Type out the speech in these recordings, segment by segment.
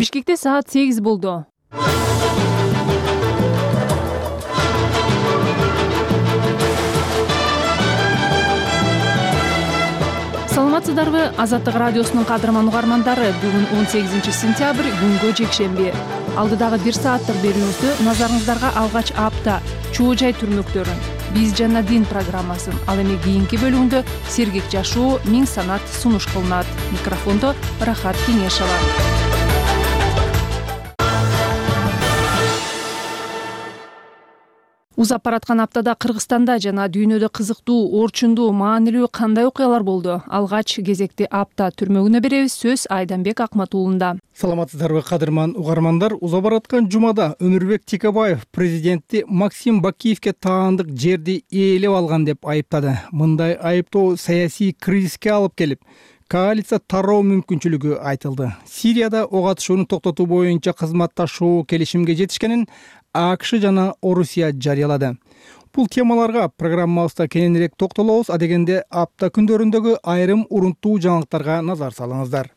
Бишкекте саат 8 болду. Саламатсыздарбы? Азаттык радиосунун кадырман угармандары, бүгүн 18-сентябрь, күнгө жекшемби. Алдыдагы 1 сааттык берүүбүздү назарыңыздарга алгач апта чоо жай түрмөктөрүн, биз жана дин программасын, ал эми кийинки бөлүгүндө сергек жашоо, миң санат сунуш кылынат. Микрофондо Рахат Кеңешова. Узап бараткан аптада Кыргызстанда жана дүйнөдө кызыктуу, орчундуу, маанилүү кандай окуялар болду? Алгач кезекти апта түрмөгүнө беребиз. Сөз Айданбек Акматуулунда. Саламатсыздарбы кадырман угармандар? Узап бараткан жумада Өмүрбек Текебаев президентти Максим Бакиевке таандык жерди ээлеп алган деп айыптады. Мындай айыптоо саясий кризиске алып келип, коалиция тароо мүмкүнчүлүгү айтылды. Сирияда ок атышууну токтотуу боюнча кызматташуу келишимге жетишкенин АКШ жана Орусия жарыялады. Бул темаларга программабызда кененирээк токтолобуз. Адегенде апта күндөрүндөгү айрым урунттуу жаңылыктарга назар салыңыздар.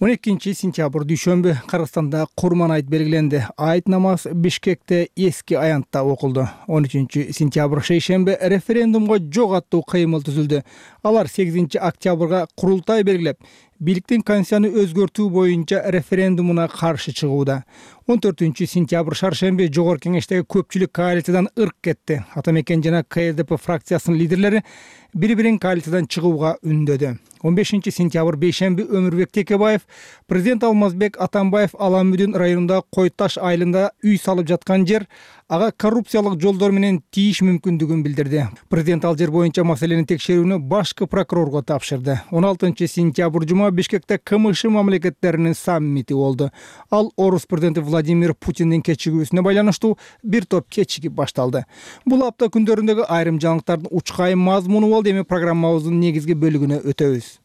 12-сентябрь дүйшөмбү Кыргызстанда Курман айт белгиленди. Айт намаз Бишкекте эски аянтта окулду. 13-сентябрь шейшембе референдумга жок аттуу кыймыл түзүлдү. Алар 8-октябрга курултай белгилеп, бийликтин конституцияны өзгөртүү боюнча референдумуна каршы чыгууда. 14-сентябрь шаршемби Жогорку Кеңештеги көпчүлүк коалициядан ырк кетти. Атамекен жана КСДП фракциясынын лидерлери бири-бирин коалициядан чыгууга үндөдү. 15-сентябрь бейшемби Өмүрбек Текебаев президент Алмазбек Атамбаев Аламүдүн районунда Кой Таш айылында үй салып жаткан жер ага коррупциялык жолдор менен тийиш мүмкүндүгүн билдирди. Президент ал жер боюнча маселени текшерүүнү башкы прокурорго тапшырды. 16-сентябрь жума Бишкекте КМШ мамлекеттеринин саммити болду. Ал орус президенти Владимир Путиндин кечигүүсүнө байланыштуу бир топ кечигип башталды. Бул апта күндөрүндөгү айрым жаңылыктардын учкайым мазмуну болду. Эми программабыздын негизги бөлүгүнө өтөбүз.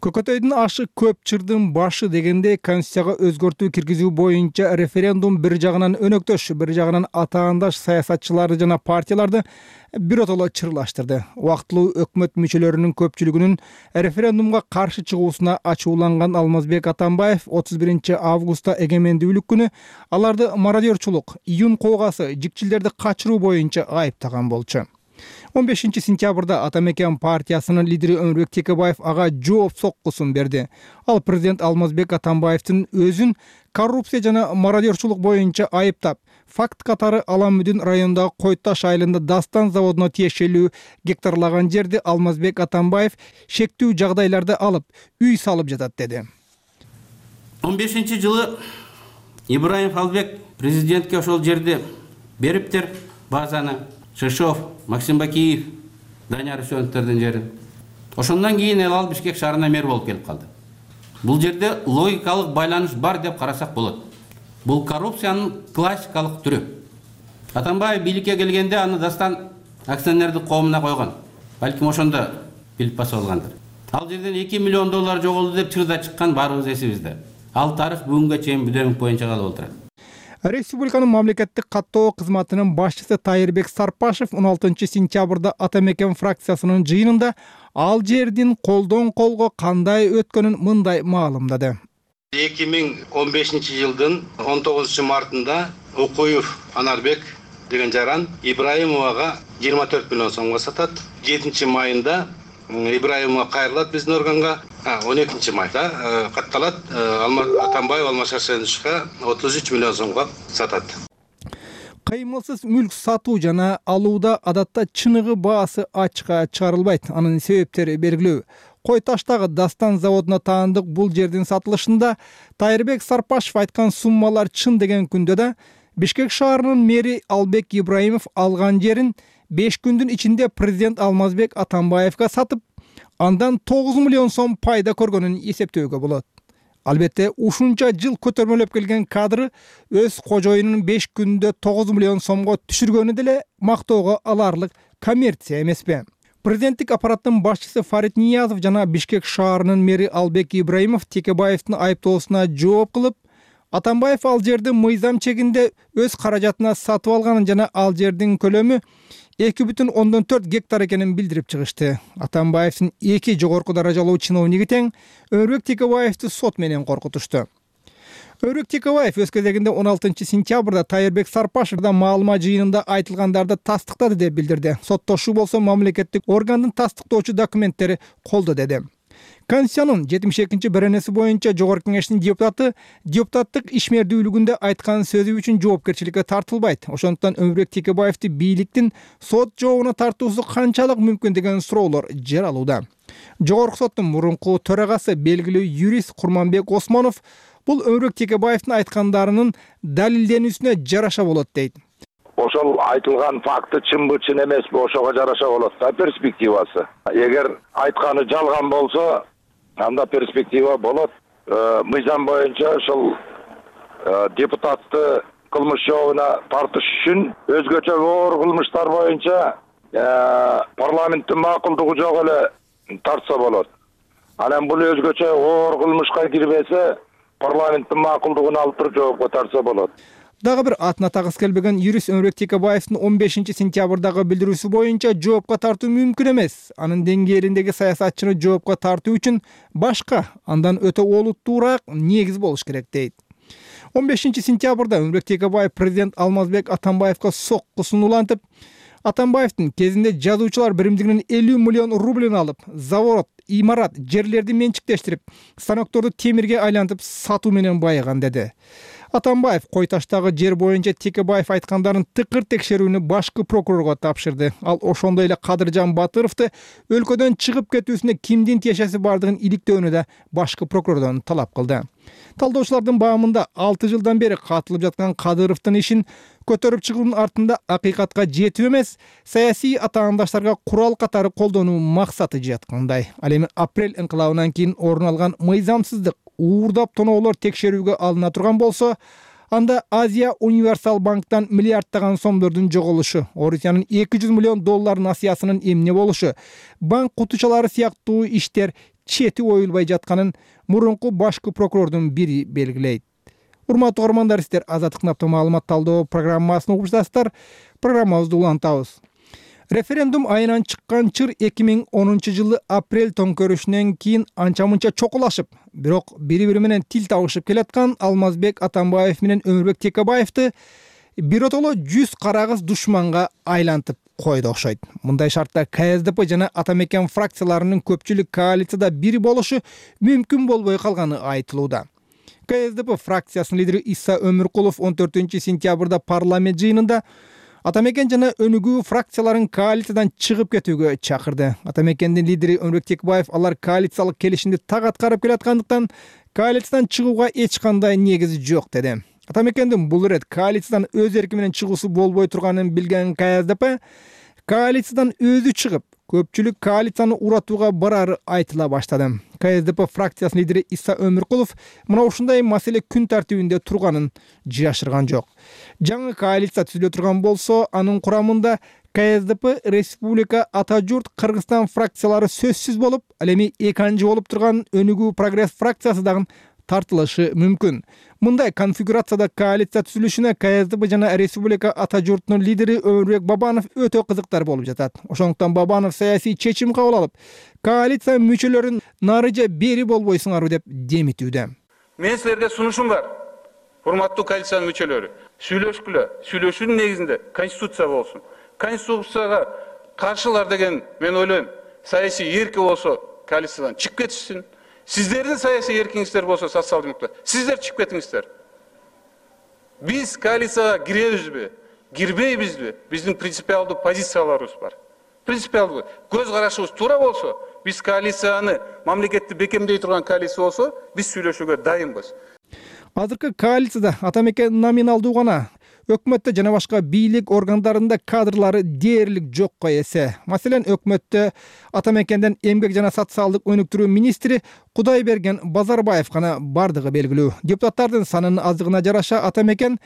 Көкөтөйдүн ашы көп чырдын башы дегенде конституцияга өзгөртүү киргизүү боюнча референдум бир жагынан өнөктөш, бир жагынан атаандаш саясатчыларды жана партияларды биротоло чырлаштырды. Убактылуу өкмөт мүчөлөрүнүн көпчүлүгүнүн референдумга каршы чыгуусуна ачууланган Алмазбек Атамбаев 31 августта эгемендүүлүк күнү аларды мародерчулук, июнь куугасы, жикчилдерди качыруу боюнча айыптаган болчу. 15-сентябрда Атамекен партиясынын лидери Өмүрбек Текебаев ага жооп соккусун берди. Ал президент Алмазбек Атамбаевдин өзүн коррупция жана мародерчулук боюнча айыптап, факт катары Аламүдүн районундагы Кой Таш айылында Дастан заводуна тиешелүү гектарлаган жерди Алмазбек Атамбаев шектүү жагдайларда алып, үй салып жатат деди. 15-жылы Ибраимов Албек президентке ошол жерди бериптер, базаны. Шишов, Максим Бакиев, Данияр Үсөновдөрдүн жери. Ошондон кийин ал Бишкек шаарына мэр болуп келип калды. Бул жерде логикалык байланыш бар деп карасак болот. Бул коррупциянын классикалык түрү. Атамбаев бийликке келгенде аны Дастан акционердик коомуна койгон. Балким ошондо билип басып алгандыр. Ал жерден $2 миллион жоголду деп чырда чыккан баарыбыз эсибизде. Ал тарых бүгүнгө чейин бүдөмүк боюнча калып отурат. Республиканын мамлекеттик каттоо кызматынын башчысы Тайырбек Сарпашев 16-сентябрда Атамекен фракциясынын жыйынында ал жердин колдон колго кандай өткөнүн мындай маалымдады. 2015-жылдын 19 мартында Укуев Анарбек деген жаран Ибраимовага 24 миллион сомго сатат. 7 майында Ибраимова кайрылат биздин органга. 12 майда катталат. Атамбаев Алмашашевичке 33 миллион сомго сатат. Кыймылсыз мүлк сатуу жана алууда адатта чыныгы баасы ачыкка чыгарылбайт. Анын себептери белгилүү. Кой Таштагы Дастан заводуна таандык бул жердин сатылышында Тайырбек Сарпашев айткан суммалар чын деген күндө да Бишкек шаарынын мэри Албек Ибраимов алган жерин 5 күндүн ичинде президент Алмазбек Атамбаевга сатып, андан 9 миллион сом пайда көргөнүн эсептөөгө болот. Албетте, ушунча жыл көтөрмөлөп келген кадры өз кожоюнун 5 күндө 9 миллион сомго түшүргөнү деле мактоого аларлык коммерция эмеспи? Президенттик аппараттын башчысы Фарид Ниязов жана Бишкек шаарынын мэри Албек Ибраимов Текебаевдин айыптоосуна жооп кылып, Атамбаев ал жерди мыйзам чегинде өз каражатына сатып алганын жана ал жердин көлөмү 2,4 гектар экенин билдирип чыгышты. Атамбаевдин 2 жогорку даражалуу чиновниги тең Өмүрбек Текебаевди сот менен коркутушту. Өмүрбек Текебаев өз кезегинде 16-сентябрда Тайырбек Сарпашевдин маалымат жыйынында айтылгандарды тастыктады деп билдирди. Соттошуу болсо мамлекеттик органдын тастыктоочу документтери колдо деди. Конституциянын 72-беренеси боюнча Жогорку Кеңештин депутаттык ишмердүүлүгүндө айткан сөзү үчүн жоопкерчиликке тартылбайт. Ошондуктан Өмүрбек Текебаевди бийликтин сот жообуна тартуусу канчалык мүмкүн деген суроолор жаралууда. Жогорку соттун мурунку төрагасы белгилүү юрист Курманбек Осмонов бул Өмүрбек Текебаевдин айткандарынын далилденүүсүнө жараша болот дейт. Ошол айтылган факты чынбы, чын эмеспи, ошого жараша болот да перспективасы. Эгер айтканы жалган болсо, анда перспектива болот. Мыйзам боюнча ошол депутатты кылмыш жообуна тартыш үчүн өзгөчө оор кылмыштар боюнча парламенттин макулдугу жок эле тартса болот. Анан бул өзгөчө оор кылмышка кирбесе, парламенттин макулдугун алып туруп жоопко тартса болот. Дагы бир атына тагыс келбеген юрист Өмүрбек Текебаевдин 15-сентябрдагы билдирүүсү боюнча жоопко тартуу мүмкүн эмес. Анын деңгээлиндеги саясатчыны жоопко тартуу үчүн башка, андан өтө олуттуураак негиз болуш керек дейт. 15-сентябрда Өмүрбек Текебаев президент Алмазбек Атамбаевга соккусун улантып, Атамбаевдин кезинде жазуучулар биримдигинин 50 миллион рублин алып, завод, имарат, жерлерди менчиктештирип, станокторду темирге айлантып сатуу менен байыган деди. Атамбаев кой таштагы жер боюнча Текебаев айткандарын тыкыр текшерүүнү башкы прокурорго тапшырды. Ал ошондой эле Кадыржан Батыровду өлкөдөн чыгып кетүүсүнө кимдин тиешеси бардыгын иликтөөнү да башкы прокурордон талап кылды. Талдоочулардын баамында 6 жылдан бери катылып жаткан Кадыровдун ишин көтөрүп чыгуунун артында акыйкатка жетүү эмес, саясий атаандаштарга курал катары колдонуу максаты жаткандай. Ал эми апрель инкылабынан кийин орун алган мыйзамсыздык, уурдап тоноолор текшерүүгө алына турган болсо, анда Азия Универсал банктан миллиарддаган сомдордун жоголушу, Орусиянын 200 миллион доллар насыясынын эмне болушу, банк кутучалары сыяктуу иштер чети оюлбай жатканын мурунку башкы прокурордун бири белгилейт. Урматтуу угармандар, сиздер Азаттык наптын маалымат талдоо программасын угуп жатасыздар. Программабызды улантабыз. Референдум айынан чыккан чыр 2010 жылы апрель төңкөрүшүнөн кийин анча-мынча чокулашып, бирок бири-бири менен тил табышып келаткан Алмазбек Атамбаев менен Өмүрбек Текебаевди биротоло 100 карагыз душманга айлантып койду окшойт. Мындай шартта КСДП жана Атамекен фракцияларынын көпчүлүк коалицияда бир болушу мүмкүн болбой калганы айтылууда. КСДП фракциясынын лидери Иса Өмүркулов 14-сентябрда парламент жыйынында Атамекен жана Өнүгүү фракцияларын коалициядан чыгып кетүүгө чакырды. Атамекендин лидери Өмүрбек Текебаев алар коалициялык келишимди так аткарып келаткандыктан коалициядан чыгууга эч кандай негиз жок деди. Атамекендин бул ирет коалициядан өз эрки менен чыгуусу болбой турганын билген КСДП коалициядан өзү чыгып, көпчүлүк коалицияны уратууга барары айтыла баштады. КСДП фракциясынын лидери Иса Өмүркулов мына ушундай маселе күн тартибинде турганын жашырган жок. Жаңы коалиция түзүлө турган болсо, анын курамында КСДП, Республика, Ата журт, Кыргызстан фракциялары сөзсүз болуп, ал эми экинчи болуп турган Өнүгүү прогресс фракциясы дагы тартылышы мүмкүн. Мындай конфигурацияда коалиция түзүлүшүнө КСДП жана Республика Ата журтунун лидери Өмүрбек Бабанов өтө кызыктар болуп жатат. Ошондуктан Бабанов саясий чечим кабыл алып, коалиция мүчөлөрүн нарыжа бери болбойсуңарбы деп демитүүдө. Мен силерге сунушум бар. Урматтуу коалициянын мүчөлөрү, сүйлөшкүлө. Сүйлөшүүнүн негизинде конституция болсун. Конституцияга каршылар деген мен ойлойм, саясий эрки болсо коалициядан чыгып кетишсин. Сиздердин саясий эркиңиздер болсо социал-демократтар, сиздер чыгып кетиңиздер. Биз коалицияга киребизби, кирбейбизби? Биздин принципиалдуу позицияларыбыз бар. Принципиалдуу көз карашыбыз туура болсо, биз коалицияны мамлекетти бекемдей турган коалиция болсо, биз сүйлөшүүгө дайынбыз. Азыркы коалицияда Атамекен номиналдуу гана, өкмөттө жана башка бийлик органдарында кадрлары дээрлик жокко эсе. Маселен, өкмөттө Атамекенден эмгек жана социалдык өнүктүрүү министри Кудайберген Базарбаев гана бардыгы белгилүү. Депутаттардын санынын аздыгына жараша Атамекен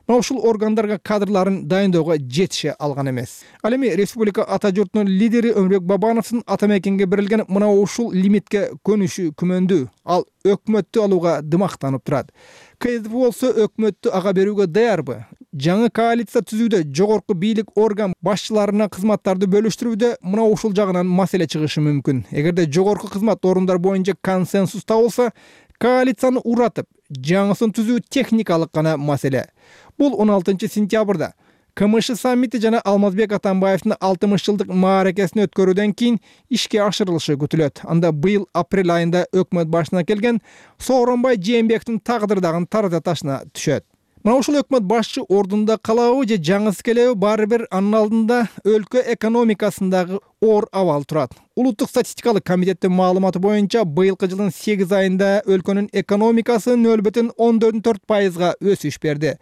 мына ушул органдарга кадрларын дайындоого жетише алган эмес. Ал эми Республика Ата журтунун лидери Өмүрбек Бабановдун Атамекенге берилген мына ушул лимитке көнүшү күмөндүү. Ал өкмөттү алууга дымактанып турат. КСДП болсо өкмөттү ага берүүгө даярбы? Жаңы коалиция түзүүдө жогорку бийлик орган башчыларына кызматтарды бөлүштүрүүдө мына ушул жагынан маселе чыгышы мүмкүн. Эгерде жогорку кызмат орундар боюнча консенсус табылса, коалицияны уратып, жаңысын түзүү техникалык гана маселе. Бул 16 сентябрда КМШ саммити жана Алмазбек Атамбаевдин 60 жылдык мааракесин өткөрүүдөн кийин ишке ашырылышы күтүлөт. Анда быйыл апрель айында өкмөт башына келген Сооронбай Жээнбековдун тагдыры дагы тарата ташына түшөт. Мына ушул өкмөт башчы ордунда калабы же жаңысы келеби, баары бир анын алдында өлкө экономикасындагы оор абал турат. Улуттук статистикалык комитеттин маалыматы боюнча быйылкы жылдын 8 айында өлкөнүн экономикасы 0,14% өсүш берди.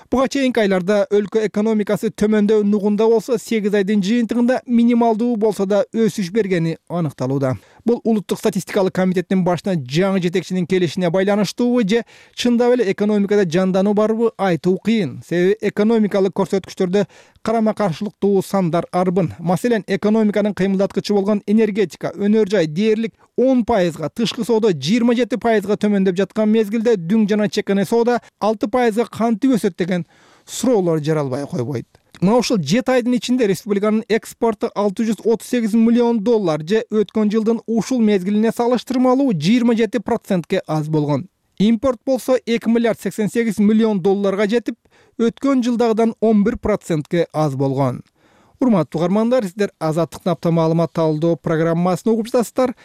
Буга чейинки айларда өлкө экономикасы төмөндөй нугунда болсо, 8 айдын жыйынтыгында минималдуу болсо да өсүш бергени аныкталууда. Бул улуттук статистикалык комитеттин башына жаңы жетекчинин келишине байланыштуубу же чындап эле экономикада жандануу барбы айтуу кыйын. Себеби экономикалык көрсөткүчтөрдө карама-каршылыктуу сандар арбын. Маселен, экономиканын кыймылдаткычы болгон энергетика, өнөр жай дээрлик 10%, тышкы соода 27% төмөндөп жаткан мезгилде дүң жана чекане соода 6% кантип өсөт деген суроолор жаралбай койбойт. Мына ушул 7 айдын ичинде республиканын экспорту $638 миллион же өткөн жылдын ушул мезгилине салыштырмалуу 27%ке аз болгон. Импорт болсо $2,88 миллион жетип, өткөн жылдагыдан 11%ке аз болгон. Урматтуу угармандар, сиздер Азаттыктын апта маалымат талдоо программасын угуп жатасыздар.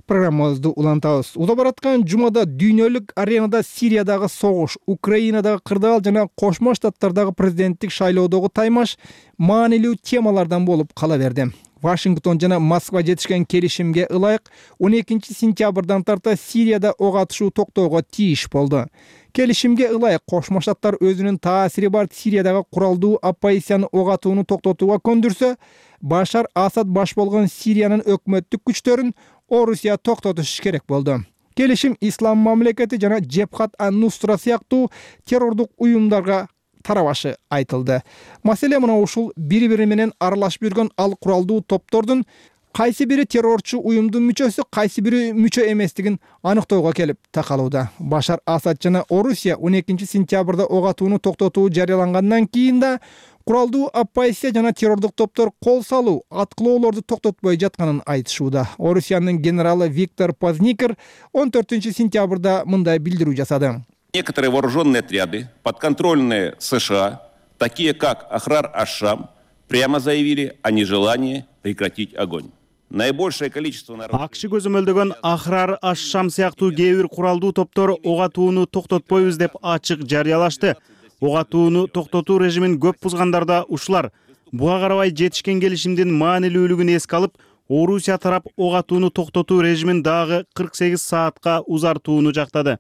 Программабызды улантабыз. Уза бараткан жумада дүйнөлүк аренада Сириядагы согуш, Украинадагы кырдаал жана Кошмо Штаттардагы президенттик шайлоодогу таймаш маанилүү темалардан болуп кала берди. Вашингтон жана Москва жетишкен келишимге ылайык 12 сентябрдан тарта Сирияда ок атышуу токтоого тийиш болду. Келишимге ылайык Кошмо Штаттар өзүнүн таасири бар Сириядагы куралдуу оппозицияны ок атууну токтотууга көндүрсө, Башар Асад баш болгон Сириянын өкмөттүк күчтөрүн Орусия токтотуш керек болду. Келишим Ислам мамлекети жана Джебхат ан-Нусра сыяктуу террордук уюмдарга тарабашы айтылды. Маселе мына ушул бири-бири менен аралашып жүргөн ал куралдуу топтордун кайсы бири террорчу уюмдун мүчөсү, кайсы бири мүчө эместигин аныктоого келип такалууда. Башар Асад жана Орусия 12 сентябрда ок атууну токтотуу жарыялангандан кийин да куралдуу оппозиция жана террордук топтор кол салуу, аткылоолорду токтотпой жатканын айтышууда. Орусиянын генералы Виктор Позникер 14 сентябрда мындай билдирүү жасады. Некоторые вооруженные отряды, подконтрольные США, такие как Ахрар аш-Шам, прямо заявили о нежелании прекратить огонь. Наибольшее количество народов... Акши көзөмөлдөгөн Ахрар аш-Шам сыяктуу кээ бир куралдуу топтор ок атууну токтотпойбуз деп ачык жарыялашты. Ок атууну токтотуу режимин көп бузгандарда ушулар. Буга карабай жетишкен келишимдин маанилүүлүгүн эске алып, Орусия тарап ок атууну токтотуу режимин дагы 48 саатка узартууну жактады.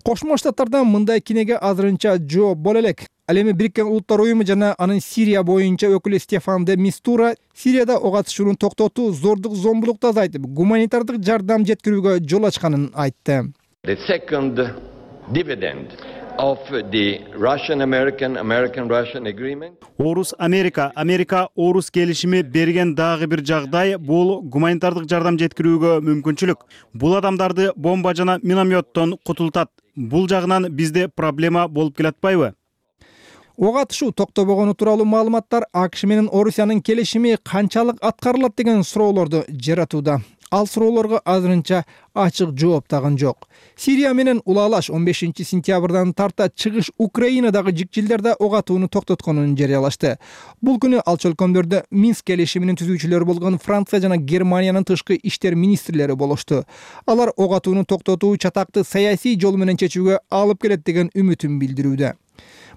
Кошмо Штаттардан мындай кинеге азырынча жоо боло элек. Ал эми Бириккен Улуттар уюму жана анын Сирия боюнча өкүлү Стефан де Мистура Сирияда ок атышууну токтотуу зордук зомбулукту азайтып, гуманитардык жардам жеткирүүгө жол ачканын айтты. The second dividend of the Russian-American agreement. Орус-Америка келишими берген дагы бир жагдай бул гуманитардык жардам жеткирүүгө мүмкүнчүлүк. Бул адамдарды бомба жана минометтон кутултат. Бул жагынан бизде проблема болуп келатпайбы? Ок атышуу токтобогону тууралуу маалыматтар АКШ менен Орусиянын келишими канчалык аткарылат деген суроолорду жаратууда. Ал суроолорго азырынча ачык жооп тагын жок. Сирия менен улаалаш 15 сентябрдан тарта чыгыш Украинадагы жикжилдерде ок атууну токтотконун жарыялашты. Бул күнү ал чөлкөмдөрдө Минск келишиминин түзүүчүлөрү болгон Франция жана Германиянын тышкы иштер министрлери болушту. Алар ок атууну токтотуу чатакты саясий жол менен чечүүгө алып келет деген үмүтүн билдирүүдө.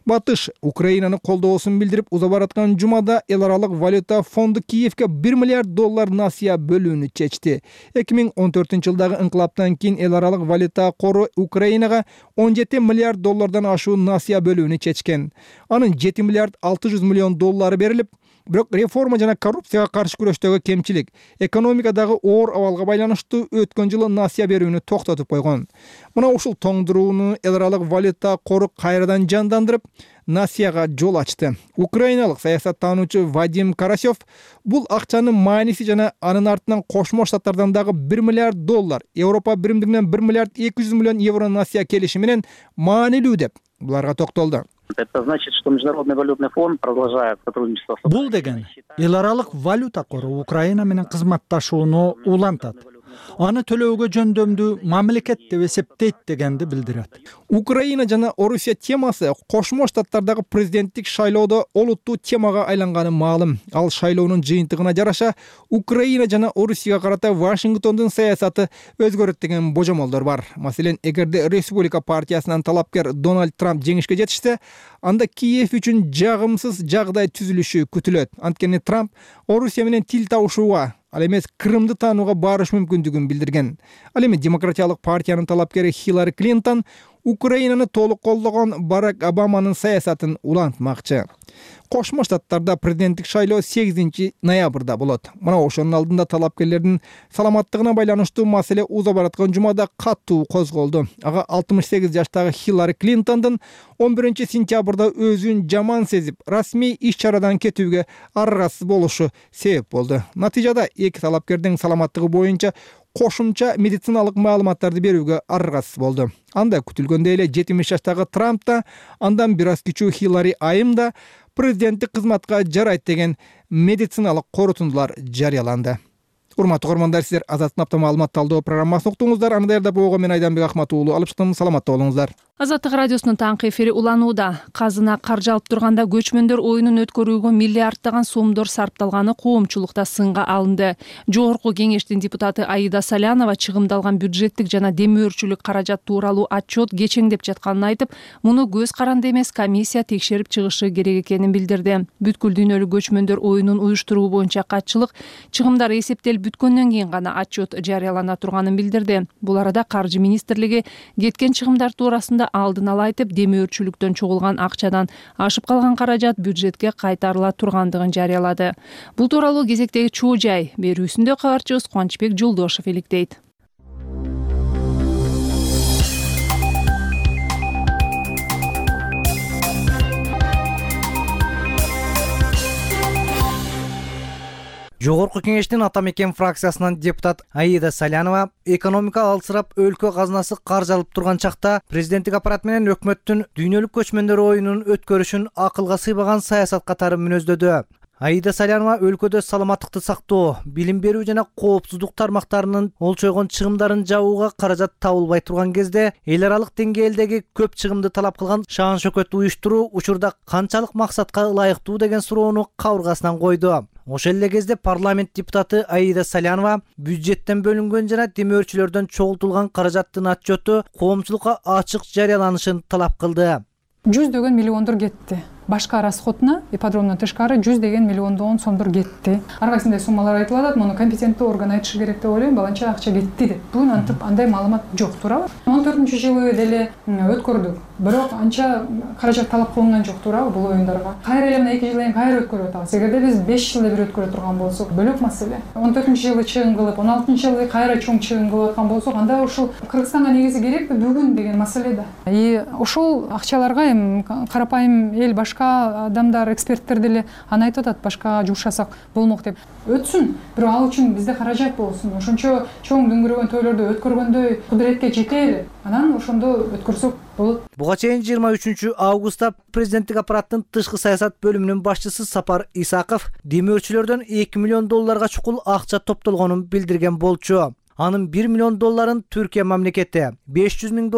Батыш Украинаны колдоосун билдирип, уза бараткан жумада эл аралык валюта фонду Киевке $1 миллиард насыя бөлүүнү чечти. 2014 жылдагы инкылаптан кийин эл аралык валюта кору Украинага $17 миллиард ашуу насыя бөлүүнү чечкен. Анын $7 миллиард 600 миллион берилип, бирок реформа жана коррупцияга каршы күрөштөгү кемчилик, экономикадагы оор абалга байланыштуу өткөн жылы насыя берүүнү токтотуп койгон. Мына ушул тоңдурууну эл аралык валюта кору кайрадан жандандырып, насыяга жол ачты. Украиналык саясаттануучу Вадим Карасев бул акчанын мааниси жана анын артынан Кошмо Штаттардан дагы $1 миллиард, Европа биримдигинен €1 миллиард 200 миллион насыя келиши менен маанилүү деп буларга токтолду. Это значит, что Международный валютный фонд продолжает сотрудничество. Бул деген эл аралык валюта кору Украина менен кызматташууну улантат. аны төлөөгө жөндөмдүү мамлекет деп эсептейт дегенди билдирет. Украина жана Орусия темасы Кошмо Штаттардагы президенттик шайлоодо олуттуу темага айланганы маалым. Ал шайлоонун жыйынтыгына жараша Украина жана Орусияга карата Вашингтондун саясаты өзгөрөт деген божомолдор бар. Маселен, эгерде Республика партиясынан талапкер Дональд Трамп жеңишке жетишсе, анда Киев үчүн жагымсыз жагдай түзүлүшү күтүлөт. Анткени Трамп Орусия менен тил табышууга, ал эмес Крымды таанууга барыш мүмкүндүгүн билдирген. Ал эми Демократиялык партиянын талапкери Хиллари Клинтон Украинаны толук колдогон Барак Обаманын саясатын улантмакчы. Кошмо Штаттарда президенттик шайлоо 8 ноябрда болот. Мына ошонун алдында талапкерлердин саламаттыгына байланыштуу маселе уза бараткан жумада катуу козголду. Ага 68 жаштагы Хиллари Клинтондун 11 сентябрда өзүн жаман сезип, расмий иш-чарадан кетүүгө аргасыз болушу себеп болду. Натыйжада эки талапкердин саламаттыгы боюнча кошумча медициналык маалыматтарды берүүгө аргасыз болду. Анда күтүлгөндөй эле 70 жаштагы Трамп да, андан бир аз кичүү Хиллари Айым да президенттик кызматка жарайт деген медициналык корутундулар жарыяланды. Урматтуу көрөрмандар, сиздер Азаттын апта маалымат талдоо программасын уктуңуздар. Аны даярдап болгон мен Айданбек Ахмат уулу алып чыктым. Саламатта болуңуздар. Азаттык радиосунун таңкы эфири уланууда. Казына каржы алып турганда көчмөндөр оюнун өткөрүүгө миллиарддаган сомдор сарпталганы коомчулукта сынга алынды. Жогорку кеңештин депутаты Аида Салянова чыгымдалган бюджеттик жана демөөрчүлүк каражат тууралуу отчет кечеңдеп жатканын айтып, муну көз каранды эмес комиссия текшерип чыгышы керек экенин билдирди. Бүткүл дүйнөлүк көчмөндөр оюнун уюштуруу боюнча катчылык чыгымдар эсептелип бүткөндөн кийин гана отчет жарыялана турганын билдирди. Бул арада Каржы министрлиги кеткен чыгымдар туурасында алдын ала айтып, демөөрчүлүктөн чогулган акчадан ашып калган каражат бюджетке кайтарыла тургандыгын жарыялады. Бул тууралуу кезектеги чуу жай берүүсүндө кабарчыбыз Кубанычбек Жолдошов иликтейт. Жогорку кеңештин Ата мекен фракциясынан депутат Аида Салянова экономика алсырап өлкө казынасы каржы алып турган чакта президенттик аппарат менен өкмөттүн дүйнөлүк көчмөндөр оюнун өткөрүшүн акылга сыйбаган саясат катары мүнөздөдү. Аида Салянова өлкөдө саламаттыкты сактоо, билим берүү жана коопсуздук тармактарынын олчойгон чыгымдарын жабууга каражат табылбай турган кезде эл аралык деңгээлдеги көп чыгымды талап кылган шаан шөкөт уюштуруу учурда канчалык максатка ылайыктуу деген суроону кабыргасынан койду. Ошол эле кезде парламент депутаты Аида Салянова бюджеттен бөлүнгөн жана демөөрчүлөрдөн чогултулган каражаттын отчету коомчулукка ачык жарыяланышын талап кылды. 100 миллиондор кетти. Башка расходуна ипподромдон тышкары 100 миллиондон сомдор кетти. Ар кайсындай суммалар айтылып атат, муну компетенттүү орган айтышы керек деп ойлойм. Баланча акча кетти деп. Бүгүн антип андай маалымат жок, туурабы? 14-жылы деле өткөрдүк. Бирок анча каражат талап кылынган жок, туурабы бул оюндарга? Кайра эле мына 2 жыл кийин кайра өткөрүп атабыз. Эгерде биз 5 жылда бир өткөрө турган болсок, бөлөк маселе. 14-жылы чыгым кылып, 16-жылы кайра чоң чыгым кылып аткан болсок, анда ушул Кыргызстанга негизи керекпи бүгүн деген маселе да. Ошол акчаларга эми карапайым эл, башка адамдар, эксперттер деле аны айтып атат, башкага жумшасак болмок деп. Өтсүн, бирок ал үчүн бизде каражат болсун. Ошончо чоң дүңгүрөгөн тойлорду өткөргөндөй кудуретке жетели. Анан ошондо өткөрсөк болот. Буга чейин 23 августта президенттик аппараттын тышкы саясат бөлүмүнүн башчысы Сапар Исаков демөөрчүлөрдөн $2 миллион чукул акча топтолгонун билдирген болчу. Анын $1 миллион Түркия мамлекети, $500 миң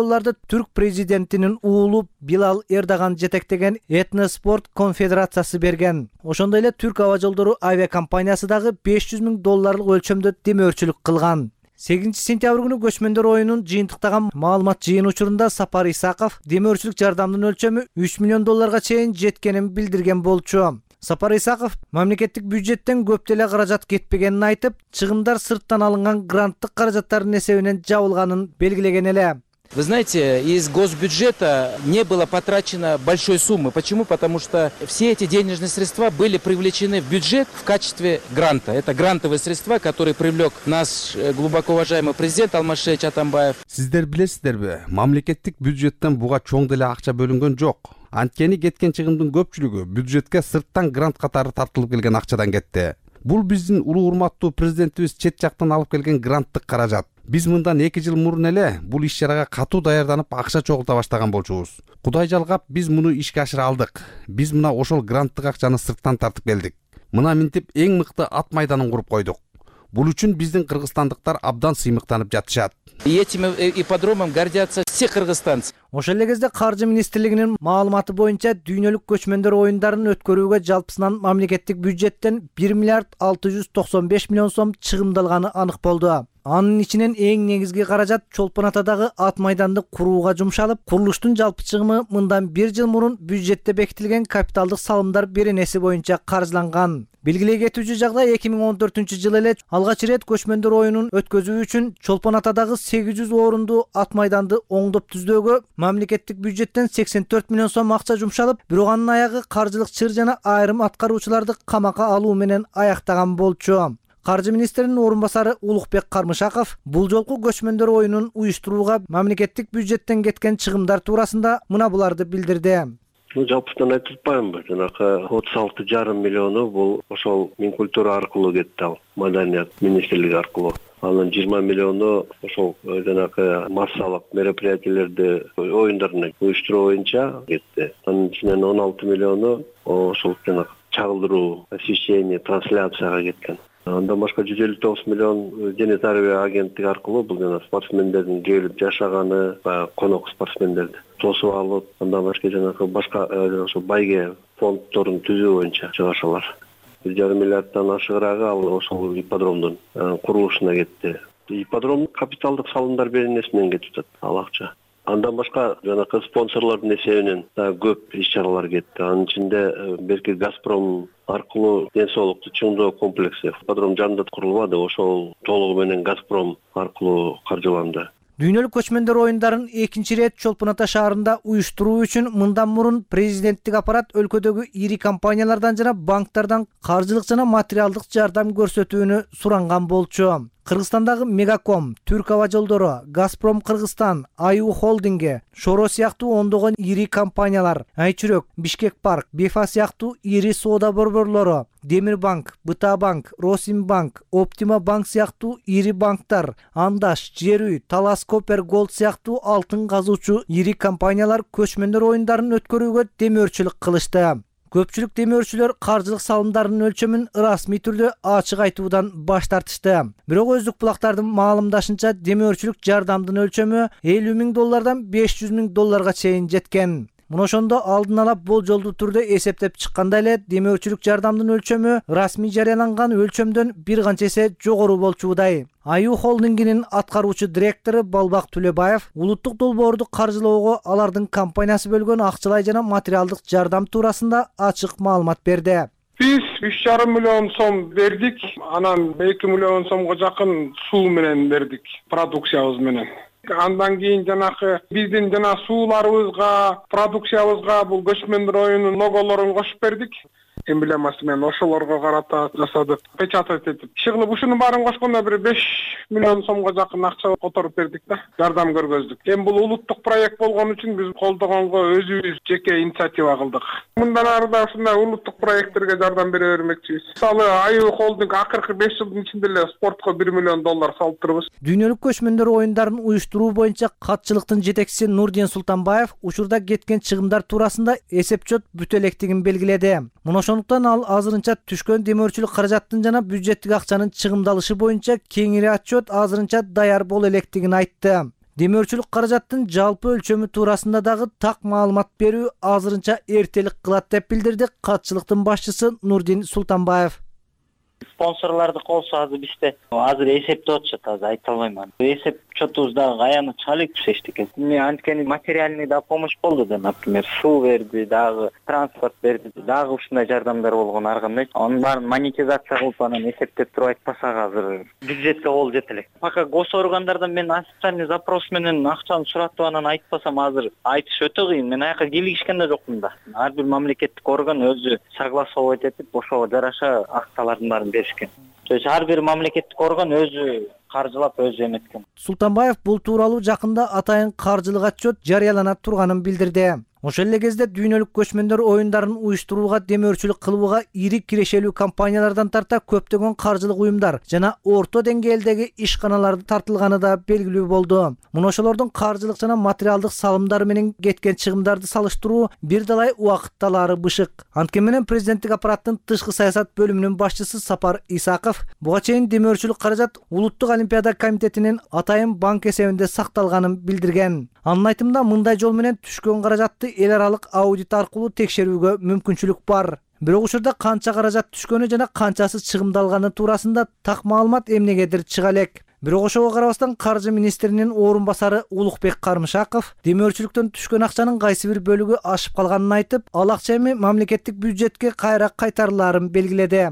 Түрк президентинин уулу Билал Эрдоган жетектеген Этноспорт конфедерациясы берген. Ошондой эле Түрк аба жолдору авиакомпаниясы дагы $500 миң өлчөмдө демөөрчүлүк кылган. 8 сентябрь күнү көчмөндөр оюнун жыйынтыктаган маалымат жыйын учурунда Сапар Исаков демөөрчүлүк жардамдын өлчөмү $3 миллион чейин жеткенин билдирген болчу. Сапар Исаков мамлекеттик бюджеттен көп деле каражат кетпегенин айтып, чыгымдар сырттан алынган гранттык каражаттардын эсебинен жабылганын белгилеген эле. Вы знаете, из госбюджета не было потрачено большой суммы. Почему? Потому что все эти денежные средства были привлечены в бюджет в качестве гранта. Это грантовые средства, которые привлек наш глубоко уважаемый президент Алмазбек Атамбаев. Сиздер билесиздерби, мамлекеттик бюджеттен буга чоң деле акча бөлүнгөн жок. Анткени кеткен чыгымдын көпчүлүгү бюджетке сырттан грант катары тартылып келген акчадан кетти. Бул биздин улуу урматтуу президентибиз чет жактан алып келген гранттык каражат. Биз мындан 2 жыл мурун эле бул иш чарага катуу даярданып акча чогулта баштаган болчубуз. Кудай жалгап биз муну ишке ашыра алдык. Биз мына ошол гранттык акчаны сырттан тартып келдик. Мына минтип эң мыкты ат майданын куруп койдук. Бул үчүн биздин кыргызстандыктар абдан сыймыктанып жатышат. Этим ипподромом гордятся все кыргызстанцы. Ошол эле кезде Каржы министрлигинин маалыматы боюнча дүйнөлүк көчмөндөр оюндарын өткөрүүгө жалпысынан мамлекеттик бюджеттен 1 миллиард 695 миллион сом чыгымдалганы анык болду. Анын ичинен эң негизги каражат Чолпон Атадагы ат майданды курууга жумшалып, курулуштун жалпы чыгымы мындан 1 жыл мурун бюджетте бекитилген капиталдык салымдар беренеси боюнча каржыланган. Белгилей кетүүчү жагдай 2014-жылы эле алгач ирет көчмөндөр оюнун өткөзүү үчүн Чолпон Атадагы 800 орунду ат майданды оңдоп түздөөгө мамлекеттик бюджеттен 84 миллион сом акча жумшалып, бирок анын аягы каржылык чыр жана айрым аткаруучуларды камакка алуу менен аяктаган болчу. Каржы министринин орун басары Улукбек Кармышаков бул жолку көчмөндөр оюнун уюштурууга мамлекеттик бюджеттен кеткен чыгымдар туурасында мына буларды билдирди. Жалпысынан айтып атпаймынбы, жанакы 36,5 миллиону бул ошол Минкультура аркылуу кетти, ал Маданият министрлиги аркылуу. Анын 20 миллиону ошол жанакы массалык мероприятиялерди оюндарын уюштуруу боюнча кетти. Анын ичинен 16 миллиону ошол жанакы чагылдыруу, освещение, трансляцияга кеткен. Андан башка 159 миллион дене тарбия агенттиги аркылуу бул жана спортсмендердин келип жашаганы, конок спортсмендерди тосуп алып, андан башка ошо байге фонддорун түзүү боюнча чыгышалар. 1,5 миллиарддан ашыгыраагы ал ошол ипподромдун курулушуна кетти. Ипподром капиталдык салымдар беренесинен кетип атат ал акча. Андан башка жанакы спонсорлордун эсебинен көп иш-чаралар кетти. Анын ичинде берки Газпром аркылуу ден соолукту чыңдоо комплекси ипподром жанында курулбады, ошол толугу менен Газпром аркылуу каржыланды. Дүйнөлүк көчмөндөр оюндарын экинчи ирет Чолпон Ата шаарында уюштуруу үчүн мындан мурун президенттик аппарат өлкөдөгү ири компаниялардан жана банктардан каржылык жана материалдык жардам көрсөтүүнү суранган болчу. Кыргызстандагы Мегаком, Түрк аба жолдору, Газпром Кыргызстан, Аю холдинги, Шоро сыяктуу ондогон ири компаниялар, Айчүрөк, Бишкек парк, Бефа сыяктуу ири соода борборлору, Демир банк, Быта банк, Росимбанк, Оптима банк сыяктуу ири банктар, Андаш, Жер үй, Талас Копер Голд сыяктуу алтын казуучу ири компаниялар көчмөндөр оюндарын өткөрүүгө демөөрчүлүк кылышты. Көпчүлүк демөөрчүлөр каржылык салымдарынын өлчөмүн расмий түрдө ачык айтуудан баш тартышты. Бирок өздүк булактардын маалымдашынча демөөрчүлүк жардамдын өлчөмү $50,000 $500,000 чейин жеткен. Мына ошондо алдын ала болжолдуу түрдө эсептеп чыкканда эле демөөрчүлүк жардамдын өлчөмү расмий жарыяланган өлчөмдөн бир канча эсе жогору болчудай. Аю холдингинин аткаруучу директору Балбак Түлөбаев улуттук долбоорду каржылоого алардын компаниясы бөлгөн акчалай жана материалдык жардам туурасында ачык маалымат берди. Биз 3,5 миллион сом бердик, анан 2 миллион сомго жакын суу менен бердик, продукциябыз менен. Андан кийин жанакы биздин жана сууларыбызга, продукциябызга бул көчмөндөр оюнунун логолорун кошуп бердик. Эмблемасы менен ошолорго карата жасадык, печатать этип. Иши кылып ушунун баарын кошкондо бир 5 миллион сомго жакын акча которуп бердик да, жардам көргөздүк. Эми бул улуттук проект болгон үчүн биз колдогонго өзүбүз жеке инициатива кылдык. Мындан ары да ушундай улуттук проекттерге жардам бере бермекчибиз. Мисалы Аю холдинг акыркы 5 жылдын ичинде эле спортко $1 миллион салып турбуз. Дүйнөлүк көчмөндөр оюндарын уюштуруу боюнча катчылыктын жетекчиси Нурдин Султанбаев учурда кеткен чыгымдар туурасында эсеп-чот бүтө электигин белгиледи. Ошондуктан ал азырынча түшкөн демөөрчүлүк каражаттын жана бюджеттик акчанын чыгымдалышы боюнча кеңири отчет азырынча даяр боло электигин айтты. Демөөрчүлүк каражаттын жалпы өлчөмү туурасында дагы так маалымат берүү азырынча эртелик кылат деп билдирди катчылыктын башчысы Нурдин Султанбаев. Спонсорлорду колсо азыр бизде азыр эсептеп атышат, азыр айта албайм. Эсеп чотубуз дагы аяныча алек эчтеке. Эми анткени материальный да помощь болду да, например, суу берди, дагы транспорт берди, дагы ушундай жардамдар болгон ар кандай. Анын баарын монетизация кылып анан эсептеп туруп айтпасак азыр бюджетке кол жете элек. Пока госоргандардан мен официальный запрос менен акчаны суратып анан айтпасам азыр айтыш өтө кыйын. Мен аяка кийлигишкен да жокмун да. Ар бир мамлекеттик орган өзү согласовать этип ошого жараша акчалардын баарын беришкен. То есть ар бир мамлекеттик орган өзү каржылап өзү эметкен. Султанбаев бул тууралуу жакында атайын каржылык отчет жарыялана турганын билдирди. Ошол эле кезде дүйнөлүк көчмөндөр оюндарын уюштурууга, демөөрчүлүк кылууга ири кирешелүү компаниялардан тарта көптөгөн каржылык уюмдар жана орто деңгээлдеги ишканалар тартылганы да белгилүү болду. Муну ошолордун каржылык жана материалдык салымдары менен кеткен чыгымдарды салыштыруу бир далай убакыт талаары бышык. Анткени менен президенттик аппараттын тышкы саясат бөлүмүнүн башчысы Сапар Исаков буга чейин демөөрчүлүк каражат Улуттук олимпиада комитетинин атайын банк эсебинде сакталганын билдирген. Анын айтымында мындай жол менен түшкөн каражатты эл аралык аудит аркылуу текшерүүгө мүмкүнчүлүк бар. Бирок учурда канча каражат түшкөнү жана канчасы чыгымдалганы туурасында так маалымат эмнегедир чыга элек. Бирок ошого карабастан каржы министринин орун басары Улукбек Кармышаков демөөрчүлүктөн түшкөн акчанын кайсы бир бөлүгү ашып калганын айтып, ал акча эми мамлекеттик бюджетке кайра кайтарылаарын белгиледи.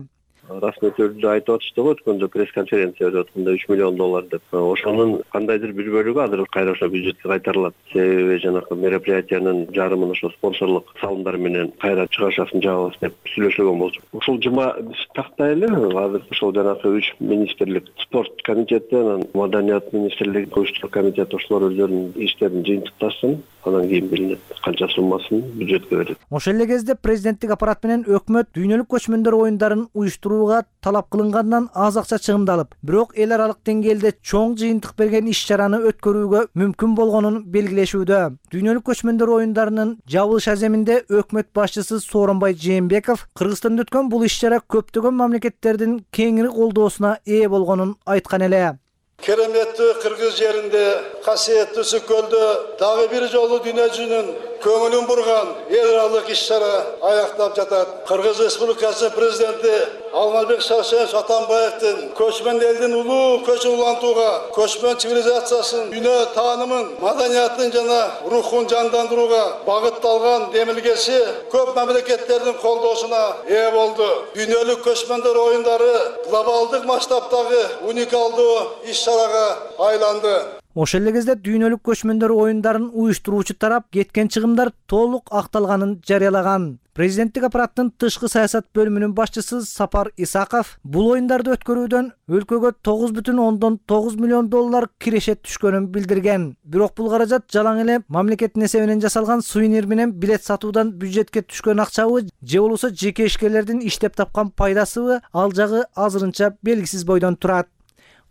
Расмий түрдө айтып атышты го, өткөндө пресс-конференция өтүп атканда $3 миллион деп. Ошонун кандайдыр бир бөлүгү азыр кайра ошо бюджетке кайтарылат. Себеби жанакы мероприятиянын жарымын ошо спонсорлук салымдар менен кайра чыгашасын жабабыз деп сүйлөшүлгөн болчу. Ушул жума тактай эле азыр ошол жанакы 3 министрлик, спорт комитети, анан маданият министрлиги, коюштуруу комитети ошолор өздөрүнүн иштерин жыйынтыкташсын, анан кийин билинет канча суммасын бюджетке берет. Ошол эле кезде президенттик аппарат менен өкмөт дүйнөлүк көчмөндөр оюндарын уюштурууга талап кылынгандан аз акча чыгымдалып, бирок эл аралык деңгээлде чоң жыйынтык берген иш-чараны өткөрүүгө мүмкүн болгонун белгилешүүдө. Дүйнөлүк көчмөндөр оюндарынын жабылыш аземинде өкмөт башчысы Сооронбай Жээнбеков Кыргызстанда өткөн бул иш-чара көптөгөн мамлекеттердин кеңири колдоосуна ээ болгонун айткан эле. Кереметтүү Кыргыз жеринде, касиеттүү Үсүк көлдө дагы бир жолу дүйнө жүзүнүн көңүлүн бурган эл аралык иш-чара аяктап жатат. Кыргыз Республикасынын президенти Алмазбек Шаршенович Атамбаевдин көчмөн элдин улуу көчүн улантууга, көчмөн цивилизациясын, дүйнө таанымын, маданиятын жана рухун жандандырууга багытталган демилгеси көп мамлекеттердин колдоосуна ээ болду. Дүйнөлүк көчмөндөр оюндары глобалдык масштабтагы уникалдуу иш-чарага айланды. Ошол эле кезде дүйнөлүк көчмөндөр оюндарын уюштуруучу тарап кеткен чыгымдар толук акталганын жарыялаган. Президенттик аппараттын тышкы саясат бөлүмүнүн башчысы Сапар Исаков бул оюндарды өткөрүүдөн өлкөгө $9,9 миллион кирешет түшкөнүн билдирген. Бирок бул каражат жалаң эле мамлекеттин эсебинен жасалган сувенир менен билет сатуудан бюджетке түшкөн акчабы же болбосо жеке ишкерлердин иштеп тапкан пайдасыбы, ал жагы азырынча белгисиз бойдон турат.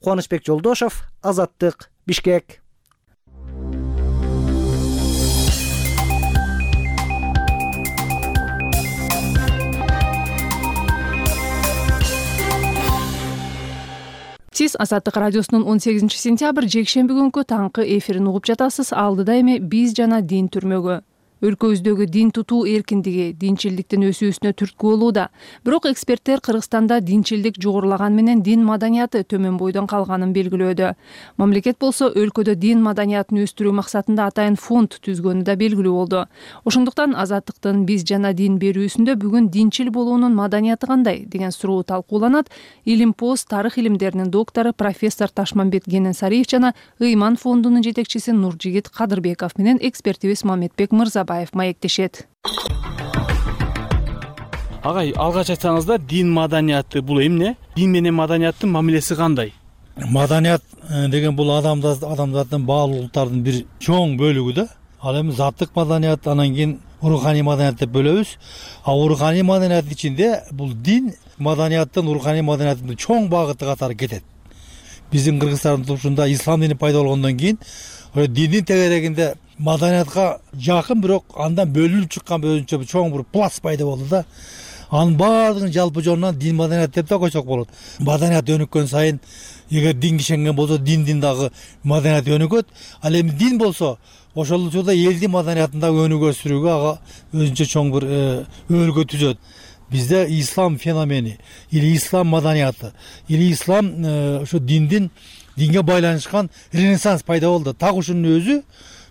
Кубанычбек Жолдошов, Азаттык, Бишкек. Сиз Азаттык радиосунун 18 сентябрь жекшемби күнкү таңкы эфирин угуп жатасыз. Алдыда эми биз жана дин түрмөгө. Өлкөбүздөгү дин тутуу эркиндиги динчилдиктин өсүүсүнө түрткү болууда. Бирок эксперттер Кыргызстанда динчилдик жогорулаган менен дин маданияты төмөн бойдон калганын белгилөөдө. Мамлекет болсо өлкөдө дин маданиятын өстүрүү максатында атайын фонд түзгөнү да белгилүү болду. Ошондуктан Азаттыктын биз жана дин берүүсүндө бүгүн динчил болуунун маданияты кандай деген суроо талкууланат. Илимпоз тарых илимдеринин доктору профессор Ташмамбет Кененсариев жана Ыйман фондунун жетекчиси Нуржигит Кадырбеков менен экспертибиз Мамедбек Мырзабаев маектешет. Агай, алгач айтсаңыздар, дин маданияты бул эмне? Дин менен маданияттын мамилеси кандай? Маданият деген бул адамзаттын баалуу улуттардын бир чоң бөлүгү да. Ал эми заттык маданият, анан кийин руханий маданият деп бөлөбүз. А руханий маданияттын ичинде бул дин маданияттын, руханий маданияттын чоң багыты катары кетет. Биздин Кыргызстандын тушунда ислам дини пайда болгондон кийин диндин тегерегинде маданиятка жакын, бирок андан бөлүнүп чыккан өзүнчө чоң бир пласт пайда болду да. Анын баардыгын жалпы жонунан дин маданият деп да койсок болот. Маданият өнүккөн сайын, эгер дин кишенген болсо, диндин дагы маданият өнүгөт. Ал эми дин болсо, ошол учурда элдин маданиятын дагы өнүгө өстүрүүгө ага өзүнчө чоң бир өлкө түзөт. Бизде ислам феномени или ислам маданияты или ислам ошо динге байланышкан ренессанс пайда болду. Так ушунун өзү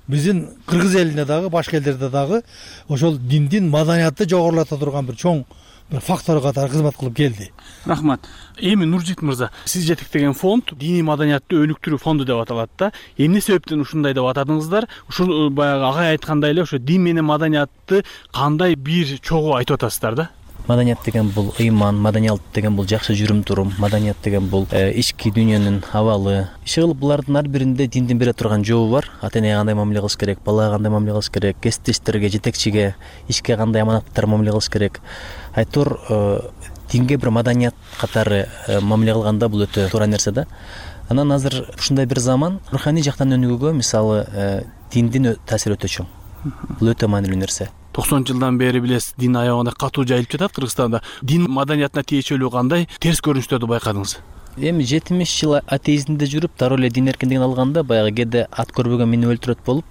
биздин кыргыз элинде дагы, башка элдерде дагы ошол диндин маданиятты жогорулата турган бир чоң бир фактор катары кызмат кылып келди. Рахмат. Эми Нуржигит мырза, сиз жетектеген фонд диний маданиятты өнүктүрүү фонду деп аталат да. Эмне себептен ушундай деп атадыңыздар? Ушул баягы агай айткандай эле ошо дин менен маданиятты кандай бир чогуу айтып атасыздар да? Маданият деген бул ыйман, маданият деген бул жакшы жүрүм турум, маданият деген бул ички дүйнөнүн абалы. Иши кылып булардын ар биринде диндин бере турган жообу бар. Ата-энеге кандай мамиле кылыш керек, балага кандай мамиле кылыш керек, кесиптештерге, жетекчиге, ишке кандай аманаттар мамиле кылыш керек. Айтор динге бир маданият катары мамиле кылганда бул өтө туура нерсе да. Анан азыр ушундай бир заман руханий жактан өнүгүүгө мисалы диндин таасири өтө чоң. Бул өтө маанилүү нерсе. 90 жылдан бери билесиз, дин аягына катуу жайылып жатат Кыргызстанда. Дин маданиятына тиешелүү кандай терс көрүнүштөрдү байкадыңыз? Эми 70 жыл атеизмде жүрүп, дароо эле дин эркиндигин алганда баягы кээде ат көрбөгөн мени өлтүрөт болуп,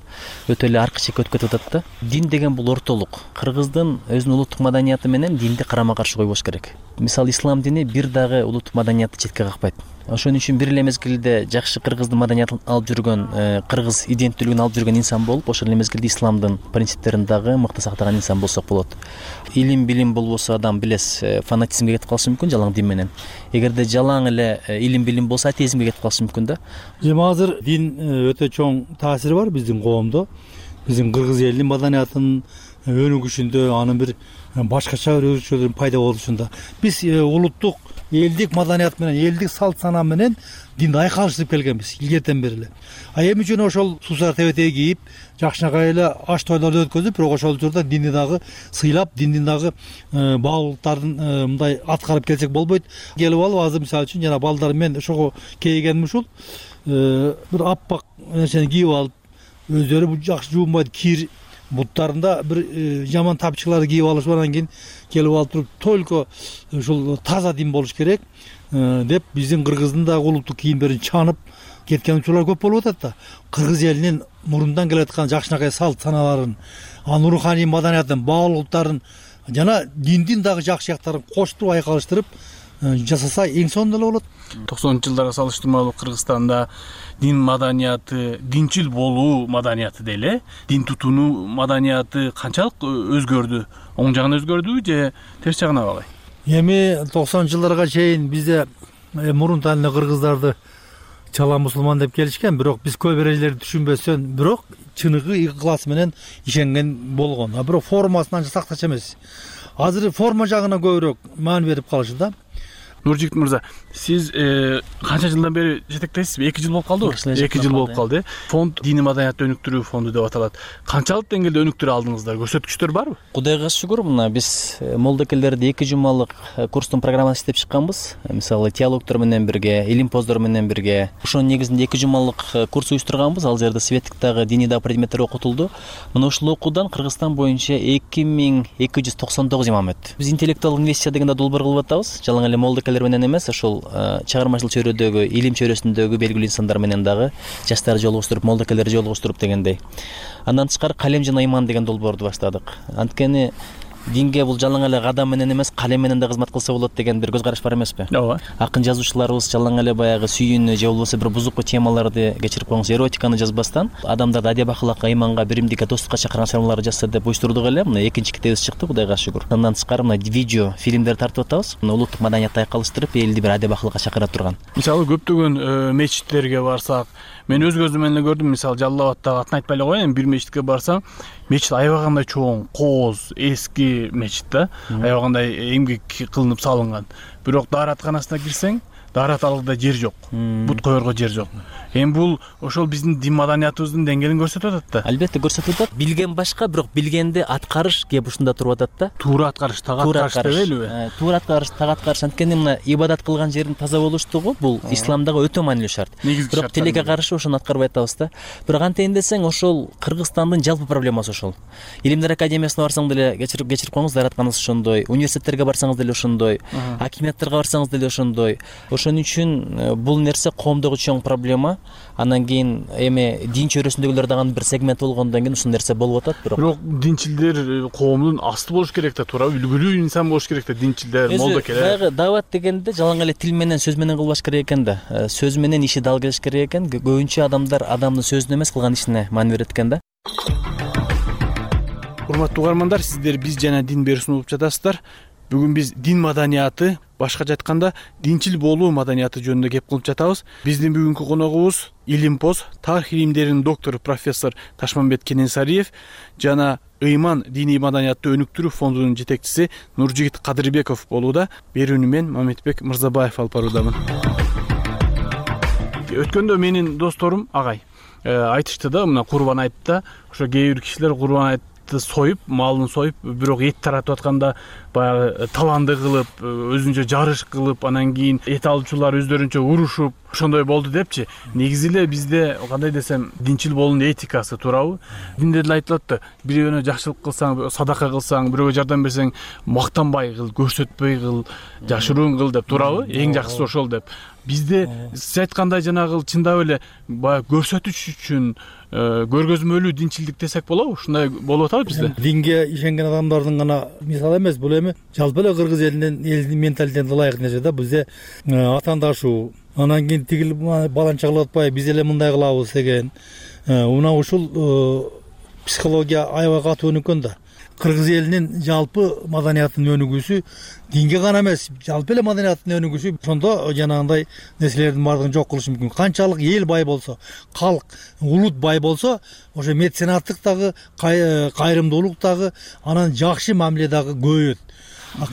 өтө эле аркы чекке өтүп кетип атат да. Дин деген бул ортолук. Кыргыздын өзүнүн улуттук маданияты менен динди карама-каршы койбош керек. Мисалы ислам дини бир дагы улуттук маданиятты четке какпайт. Ошон үчүн бир эле мезгилде жакшы кыргыздын маданиятын алып жүргөн, кыргыз иденттүүлүгүн алып жүргөн инсан болуп, ошол эле мезгилде исламдын принциптерин дагы мыкты сактаган инсан болсок болот. Илим билим болбосо адам билес фанатизмге кетип калышы мүмкүн жалаң дин менен. Эгерде жалаң эле илим билим болсо атеизмге кетип калышы мүмкүн да. Эми азыр дин өтө чоң таасири бар биздин коомдо. Биздин кыргыз элинин маданиятынын өнүгүшүндө, анын бир башкача бир өзгөчөлүгүнүн пайда болушунда. Биз улуттук элдик маданият менен, элдик салт санаа менен динди айкалыштырып келгенбиз илгертен бери эле. Эми жөн ошол суусар тебетеги кийип, жакшынакай эле аш тойлорду өткөзүп, бирок ошол учурда динди дагы сыйлап, диндин дагы баалуулуктарын мындай аткарып келсек болбойт. Келип алып азыр мисалы үчүн жана балдар мен ошого кейигеним ушул бир аппак нерсени кийип алып, өздөрү жакшы жуунбайт кир буттарында бир жаман тапчыкларды кийип алышып, анан кийин келип алып туруп только ушул таза дин болуш керек деп биздин кыргыздын да улуттук кийимдерин чанып кеткен учурлар көп болуп атат да. Кыргыз элинин мурундан келаткан жакшынакай салт санааларын, анын руханий маданиятын, баалуулуктарын жана диндин дагы жакшы жактарын коштуруп айкалыштырып жасаса эң сонун эле болот. 90-жылдарга салыштырмалуу Кыргызстанда дин маданияты, динчил болуу маданияты деле, дин тутунуу маданияты канчалык өзгөрдү? Оң жагына өзгөрдүбү же терс жагына калай? Эми 90-жылдарга чейин бизде мурунтан эле кыргыздарды чала мусулман деп келишкен, бирок биз көп эрежелерди түшүнбөстөн, бирок чыныгы ыклас менен ишенген болгон. Бирок формасын анча сактачу эмес. Азыр форма жагына көбүрөөк маани берип калышы да. Нуржигит мырза, сиз канча жылдан бери жетектейсизби? 2 жыл болуп калдыбы? 2 жыл болуп калды. Фонд дини маданиятты өнүктүрүү фонду деп аталат. Канчалык деңгээлде өнүктүрө алдыңыздар? Көрсөткүчтөр барбы? Кудайга шүгүр, мына биз молдокелерди 2 жумалык курстун программасын иштеп чыкканбыз. Мисалы теологдор менен бирге, илим-поздор менен бирге. Ошонун негизинде 2 жумалык курс уюштурганбыз. Ал жерде светтик дагы диний дагы предметтер окутулду. Мына ушул окуудан Кыргызстан боюнча 2299 имам өттү. Биз интеллектуалдык инвестиция дегенде долбоор кылып атабыз. Жалаң эле молдокелер менен эмес, ошол чыгармачылык чөйрөдөгү, илим чөйрөсүндөгү белгилүү инсандар менен дагы жаштарды жолугуштуруп, молдокелерди жолугуштуруп дегендей. Андан тышкары калем жана иман деген долбоорду баштадык. Анткени динге бул жалаң эле кадам менен эмес, калем менен да кызмат кылса болот деген бир көз караш бар эмеспи? Ооба. Акын жазуучуларыбыз жалаң эле баягы сүйүүнү же болбосо бир бузуку темаларды кечирип коюңуз, эротиканы жазбастан, адамдарды адеп ахлакка, иманга, биримдикке, достукка чакырган чыгармаларды жазса деп буйруштурдук эле. Мына 2-чи китебибиз чыкты, Кудайга шүгүр. Андан тышкары мына видео, фильмдер тартып атабыз. Мына улуттук маданиятты айкалыштырып, элди бир адеп ахлакка чакыра турган. Мисалы көптөгөн мечиттерге барсак, мен өз көзүм менен эле көрдүм. Мисалы Жалал Абадтагы атын айтпай эле коеюн, бир мечитке барсаң, мечит аябагандай чоң, кооз, эски мечит да. Аябагандай эмгек кылынып салынган. Бирок дааратканасына кирсең, даарат алгыда жер жок. Бут коерго жер жок. Эми бул ошол биздин дин маданиятыбыздын деңгээлин көрсөтүп атат да. Албетте көрсөтүп атат. Билген башка, бирок билгенди аткарыш кеп ушунда туруп атат да. Туура аткарыш, так аткарыш дебелиби? Туура аткарыш, так аткарыш. Анткени мына ибадат кылган жердин таза болуштугу бул исламдагы өтө маанилүү шарт. Бирок тилекке каршы ошону аткарбай атабыз да. Бирок антейин десең, ошол Кыргызстандын жалпы проблемасы ошол. Илимдер академиясына барсаң деле кечирип коюңуз, дааратканыңыз ошондой. Университеттерге барсаңыз деле ошондой. Акимияттерге барсаңыз деле ошондой. Ошон үчүн бул нерсе коомдогу чоң проблема. Анан кийин эми дин чөйрөсүндөгүлөр дагы бир сегмент болгондон кийин ушул нерсе болуп атат. Бирок динчилдер коомдун асты болуш керек да, туура үлгүлүү инсан болуш керек да, динчилдер, молдокелер. Баягы дават дегенде жалаң эле тил менен, сөз менен кылбаш керек экен да. Сөз менен иши дал келиш керек экен. Көбүнчө адамдар адамдын сөзүнө эмес, кылган ишине маани берет экен да. Урматтуу угармандар, сиздер биз жана дин берүүсүн угуп жатасыздар. Бүгүн биз дин маданияты, башкача айтканда динчил болуу маданияты жөнүндө кеп кылып жатабыз. Биздин бүгүнкү коногубуз Илимпоз тарых илимдеринин доктору профессор Ташмамбет Кененсариев жана Ыйман диний маданиятты өнүктүрүү фондунун жетекчиси Нуржигит Кадырбеков болууда. Берүүнү мен Мамедбек Мырзабаев алып баруудамын. Өткөндө менин досторум агай айтышты да, мына Курбан айтта ошо кээ бир кишилер Курбан айтты союп, малын союп, бирок эт таратып атканда баягы таланды кылып, өзүнчө жарыш кылып, анан кийин эт алуучулар өздөрүнчө урушуп, ошондой болду депчи. Негизи эле бизде кандай десем, динчил болуунун этикасы туурабы? Динде деле айтылат да, бирөөнө жакшылык кылсаң, садака кылсаң, бирөөгө жардам берсең, мактанбай кыл, көрсөтпөй кыл, жашыруун кыл деп туурабы? Эң жакшысы ошол деп. Бизде сиз айткандай жанагы чындап эле баягы көрсөтүш үчүн көргөзмөлүү динчилдик десек болобу? Ушундай болуп атабы бизде? Динге ишенген адамдардын гана мисалы эмес, бул эми жалпы эле кыргыз элинин менталитетине ылайык нерсе да. Бизде атаандашуу, анан кийин тигил баланча кылып атпай биз эле мындай кылабыз деген мына ушул психология аябай катуу өнүккөн да. Кыргыз элинин жалпы маданиятынын өнүгүүсү динге гана эмес, жалпы эле маданиятынын өнүгүүсү ошондо жанагындай нерселердин баардыгын жок кылышы мүмкүн. Канчалык эл бай болсо, калк, улут бай болсо, ошо меценаттык дагы, кайрымдуулук дагы, анан жакшы мамиле дагы көбөйөт.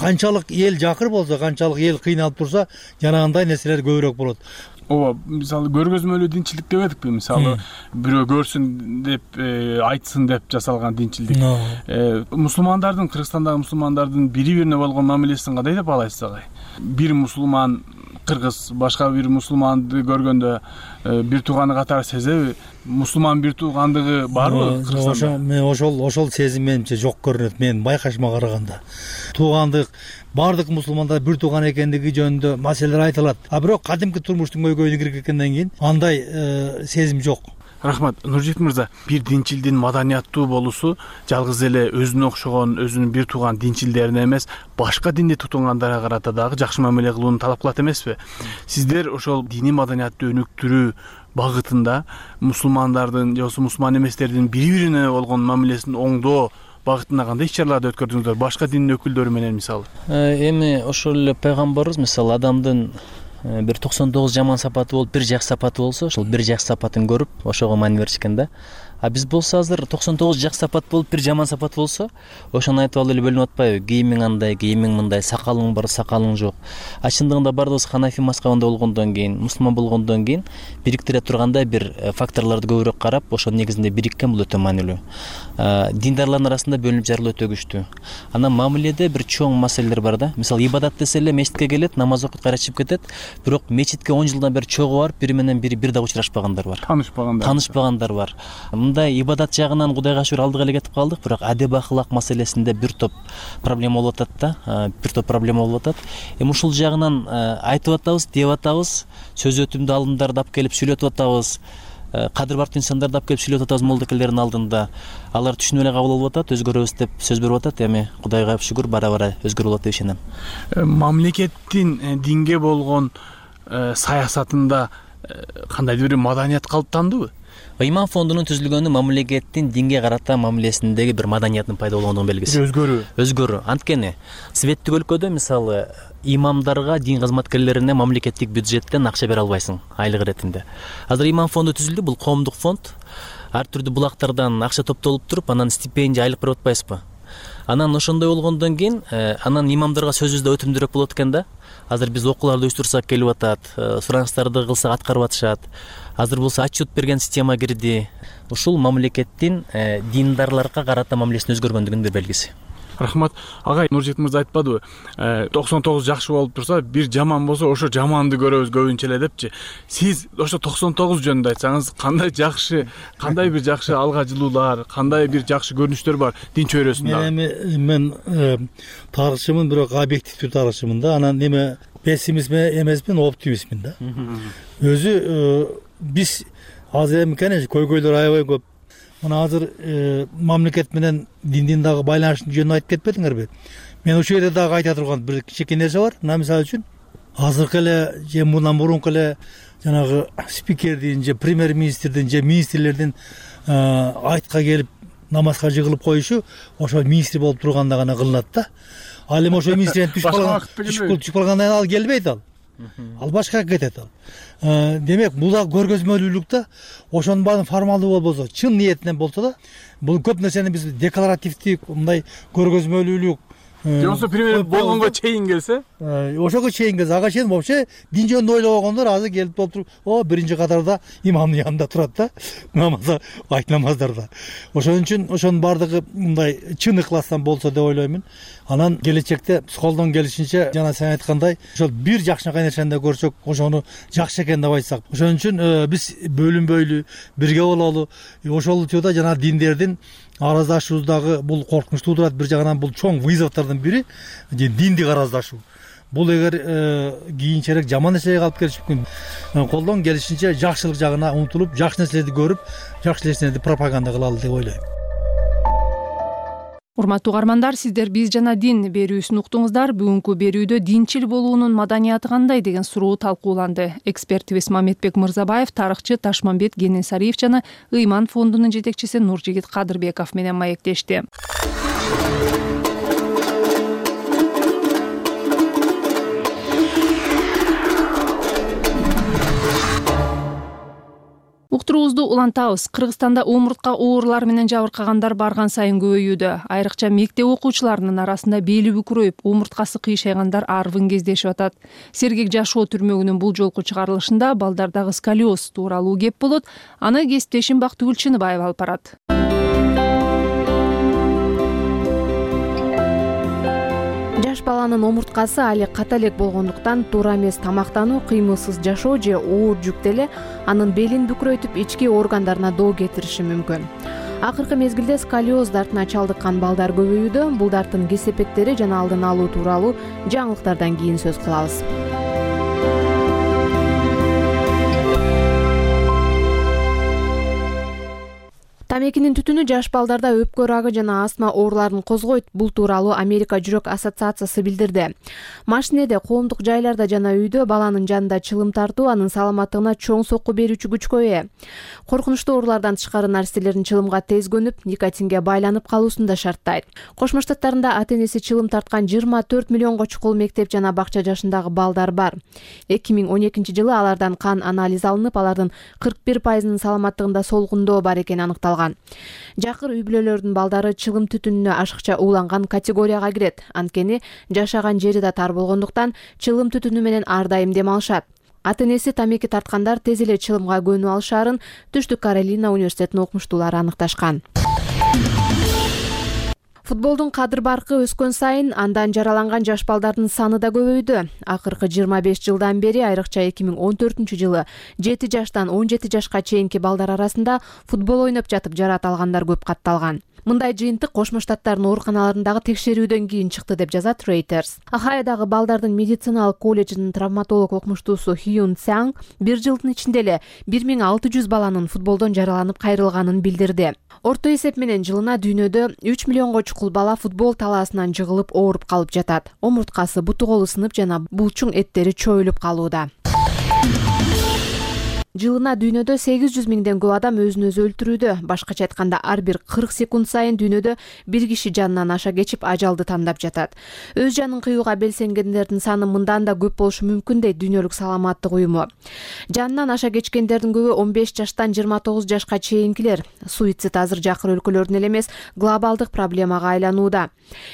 Канчалык эл жакыр болсо, канчалык эл кыйналып турса, жанагындай нерселер көбүрөөк болот. Ооба, мисалы көргөзмөлүү динчилдик деп эдикпи? Мисалы бирөө көрсүн деп, айтсын деп жасалган динчилдик. Мусулмандардын, Кыргызстандагы мусулмандардын бири-бирине болгон мамилесин кандай деп баалайсыз агай? Бир мусулман кыргыз башка бир мусулманды көргөндө бир тууганы катары сезеби? Мусулман бир туугандыгы барбы Кыргызстанда? Ошол сезим менимче жок көрүнөт, менин байкашыма караганда. Туугандык бардык мусулмандар бир тууган экендиги жөнүндө маселелер айтылат. А бирок кадимки турмуштун көйгөйүнө киргенден кийин андай сезим жок. Рахмат, Нуржигит мырза. Бир динчилдин маданияттуу болуусу жалгыз эле өзүнө окшогон, өзүнүн бир тууган динчилдерине эмес, башка динди тутунгандарга карата дагы жакшы мамиле кылууну талап кылат эмеспи? Сиздер ошол диний маданиятты өнүктүрүү багытында мусулмандардын же мусулман эместердин бири-бирине болгон мамилесин оңдоо багытында кандай иш-чараларды өткөрдүңүздөр? Башка дин өкүлдөрү менен мисалы. Эми ошол эле пайгамбарыбыз мисалы адамдын бир 99 жаман сапаты болуп, бир жакшы сапаты болсо, ошол бир жакшы сапатын көрүп, ошого маани беришкен да. А биз болсо азыр 99 жакшы сапат болуп, бир жаман сапат болсо, ошону айтып алып эле бөлүнүп атпайбы? Кийимиң андай, кийимиң мындай, сакалың бар, сакалың жок. А чындыгында бардыгыбыз ханафи мазхабында болгондон кийин, мусулман болгондон кийин бириктире тургандай бир факторлорду көбүрөөк карап, ошонун негизинде бириккен бул өтө маанилүү. Диндарлардын арасында бөлүнүп жарылуу өтө күчтүү. Анан мамиледе бир чоң маселелер бар да. Мисалы ибадат десе эле мечитке келет, намаз окуп кайра чыгып кетет, бирок мечитке 10 жылдан бери чогуу барып, бири менен бири бир дагы учурашпагандар бар. Таанышпагандар бар. Мындай ибадат жагынан Кудайга шүгүр алдыга эле кетип калдык, бирок адеп ахлак маселесинде бир топ проблема болуп атат да, бир топ проблема болуп атат. Эми ушул жагынан айтып атабыз, деп атабыз, сөз өтүмдүү алымдарды алып келип сүйлөтүп атабыз. Кадыр бартуу инсандарды алып келип сүйлөтүп атабыз молдокелердин алдында. Алар түшүнүп эле кабыл алып атат, өзгөрөбүз деп сөз берип атат. Эми Кудайга шүгүр бара-бара өзгөрүп болот деп ишенем. Мамлекеттин динге болгон саясатында кандайдыр бир маданият калыптандыбы? Ыйман фондунун түзүлгөнү мамлекеттин динге карата мамилесиндеги бир маданияттын пайда болгондугунун белгиси. Өзгөрүү. Анткени светтик өлкөдө мисалы имамдарга, дин кызматкерлерине мамлекеттик бюджеттен акча бере албайсың айлык иретинде. Азыр Ыйман фонду түзүлдү, бул коомдук фонд. Ар түрдүү булактардан акча топтолуп туруп, анан стипендия айлык берип атпайсызбы? Анан ошондой болгондон кийин, анан имамдарга сөзүбүз да өтүмдүүрөөк болот экен да. Азыр биз окууларды уюштурсак келип атат, сураныстарды кылсак аткарып атышат. Азыр болсо отчет берген система кирди. Ушул мамлекеттин диндарларга карата мамилесинин өзгөргөндүгүнүн бир белгиси. Рахмат. Агай, Нуржигит мырза айтпадыбы? 99 жакшы болуп турса, бир жаман болсо, ошо жаманды көрөбүз көбүнчө эле депчи. Сиз ошо 99 жөнүндө айтсаңыз, кандай жакшы, кандай бир жакшы алга жылуулар, кандай бир жакшы көрүнүштөр бар дин чөйрөсүндө? Мен тарыхчымын, бирок объективдүү тарыхчымын да. Анан эме пессимист эмесмин, оптимистмин да. Өзү биз азыр эми конечно көйгөйлөр аябай көп. Мына азыр мамлекет менен диндин дагы байланыштын жөнүн айтып кетпедиңерби? Мен ушул жерде дагы айта турган бир кичинекей нерсе бар. Мына мисалы үчүн азыркы эле же мындан мурунку эле жанагы спикердин же премьер министрдин же министрлердин айтка келип намазга жыгылып коюшу ошо министр болуп турганда гана кылынат да. Ал эми ошо министрден түшүп калгандан кийин ал келбейт ал башкага кетет ал. Демек бул да көргөзмөлүүлүк да. Ошонун баарын формалдуу болбосо, чын ниетинен болсо да, бул көп нерсени биз декларативдик мындай көргөзмөлүүлүк жоксо пример болгонго чейин келсе, ошого чейин келсе, ага чейин вообще дин жөнүндө ойлобогондор азыр келип толтуруп, биринчи катарда имамдын янында турат да, намазда, айт намаздарда. Ошон үчүн ошонун баардыгы мындай чын ыкластан болсо деп ойлоймун. Анан келечекте колдон келишинче жана сен айткандай, ошол бир жакшынакай нерсени да көрсөк, ошону жакшы экен деп айтсак. Ошон үчүн биз бөлүнбөйлү, бирге бололу. Ошол учурда жана диндердин араздашуубуздагы бул коркунучтуу турат. Бир жагынан бул чоң вызовдордун бири диндик араздашуу. Бул эгер кийинчерээк жаман нерсеге алып келиши мүмкүн. Колдон келишинче жакшылык жагына умтулуп, жакшы нерселерди көрүп, жакшы нерселерди пропаганда кылалы деп ойлойм. Урматтуу угармандар, сиздер биз жана дин берүүсүн уктуңуздар. Бүгүнкү берүүдө динчил болуунун маданияты кандай деген суроо талкууланды. Экспертибиз Мамедбек Мырзабаев, тарыхчы Ташмамбет Кенесариев жана Ыйман фондунун жетекчиси Нуржигит Кадырбеков менен маектешти. Уктуруубузду улантабыз. Кыргызстанда омуртка оорулары менен жабыркагандар барган сайын көбөйүүдө. Айрыкча мектеп окуучуларынын арасында бели бүкүрөйүп, омурткасы кыйшайгандар арбын кездешип атат. Сергек жашоо түрмөгүнүн бул жолку чыгарылышында балдардагы сколиоз тууралуу кеп болот. Аны кесиптешим Бактыгүл Чыныбаева алып барат. Жаш баланын омурткасы али ката элек болгондуктан туура эмес тамактануу, кыймылсыз жашоо же оор жүк деле анын белин бүкүрөйтүп, ички органдарына доо кетириши мүмкүн. Акыркы мезгилде сколиоз дартына чалдыккан балдар көбөйүүдө. Бул дарттын кесепеттери жана алдын алуу тууралуу жаңылыктардан кийин сөз кылабыз. Тамекинин түтүнү жаш балдарда өпкө рагы жана астма ооруларын козгойт. Бул тууралуу Америка жүрөк ассоциациясы билдирди. Машинеде, коомдук жайларда жана үйдө баланын жанында чылым тартуу анын саламаттыгына чоң сокку берүүчү күчкө ээ. Коркунучтуу оорулардан тышкары нарселердин чылымга тез көнүп, никотинге байланып калуусун да шарттайт. Кошмо Штаттарында ата-энеси чылым тарткан 24 миллионго чукул мектеп жана бакча жашындагы балдар бар. 2012-жылы алардан кан анализ алынып, алардын 41%-нын саламаттыгында солгундоо бар экени аныкталган. Жакыр үй-бүлөлөрдүн балдары чылым түтүнүнө ашыкча ууланган категорияга кирет. Анткени жашаган жери да тар болгондуктан чылым түтүнү менен ар дайым дем алышат. Ата-энеси тамеки тарткандар тез эле чылымга көнүп алышаарын Түштүк Каролина университетинин окумуштуулары аныкташкан. Футболдун кадыр-баркы өскөн сайын андан жараланган жаш балдардын саны да көбөйдү. Акыркы 25 жылдан бери, айрыкча 2014-жылы 7 жаштан 17 жашка чейинки балдар арасында футбол ойноп жатып жарат алгандар көп катталган. Мындай жыйынтык Кошмо Штаттардын ооруканаларындагы текшерүүдөн кийин чыкты деп жазат Reuters. Ахайдагы балдардын медициналык колледжинин травматолог окумуштуусу Хьюн Цянг бир жылдын ичинде эле 1600 баланын футболдон жараланып кайрылганын билдирди. Орто эсеп менен жылына дүйнөдө 3 миллионго чукул бала футбол талаасынан жыгылып ооруп калып жатат. Омурткасы, буту колу сынып жана булчуң эттери чоюлуп калууда. Жылына дүйнөдө 800 миңден көп адам өзүн өзү өлтүрүүдө. Башкача айтканда, ар бир 40 секунд сайын дүйнөдө бир киши жанынан аша кечип ажалды тандап жатат. Өз жанын кыюуга белсенгендердин саны мындан да көп болушу мүмкүн дейт Дүйнөлүк саламаттык уюму. Жанынан аша кечкендердин көбү 15 жаштан 29 жашка чейинкилер. Суицид азыр жакыр өлкөлөрдүн эле эмес, глобалдык проблемага айланууда.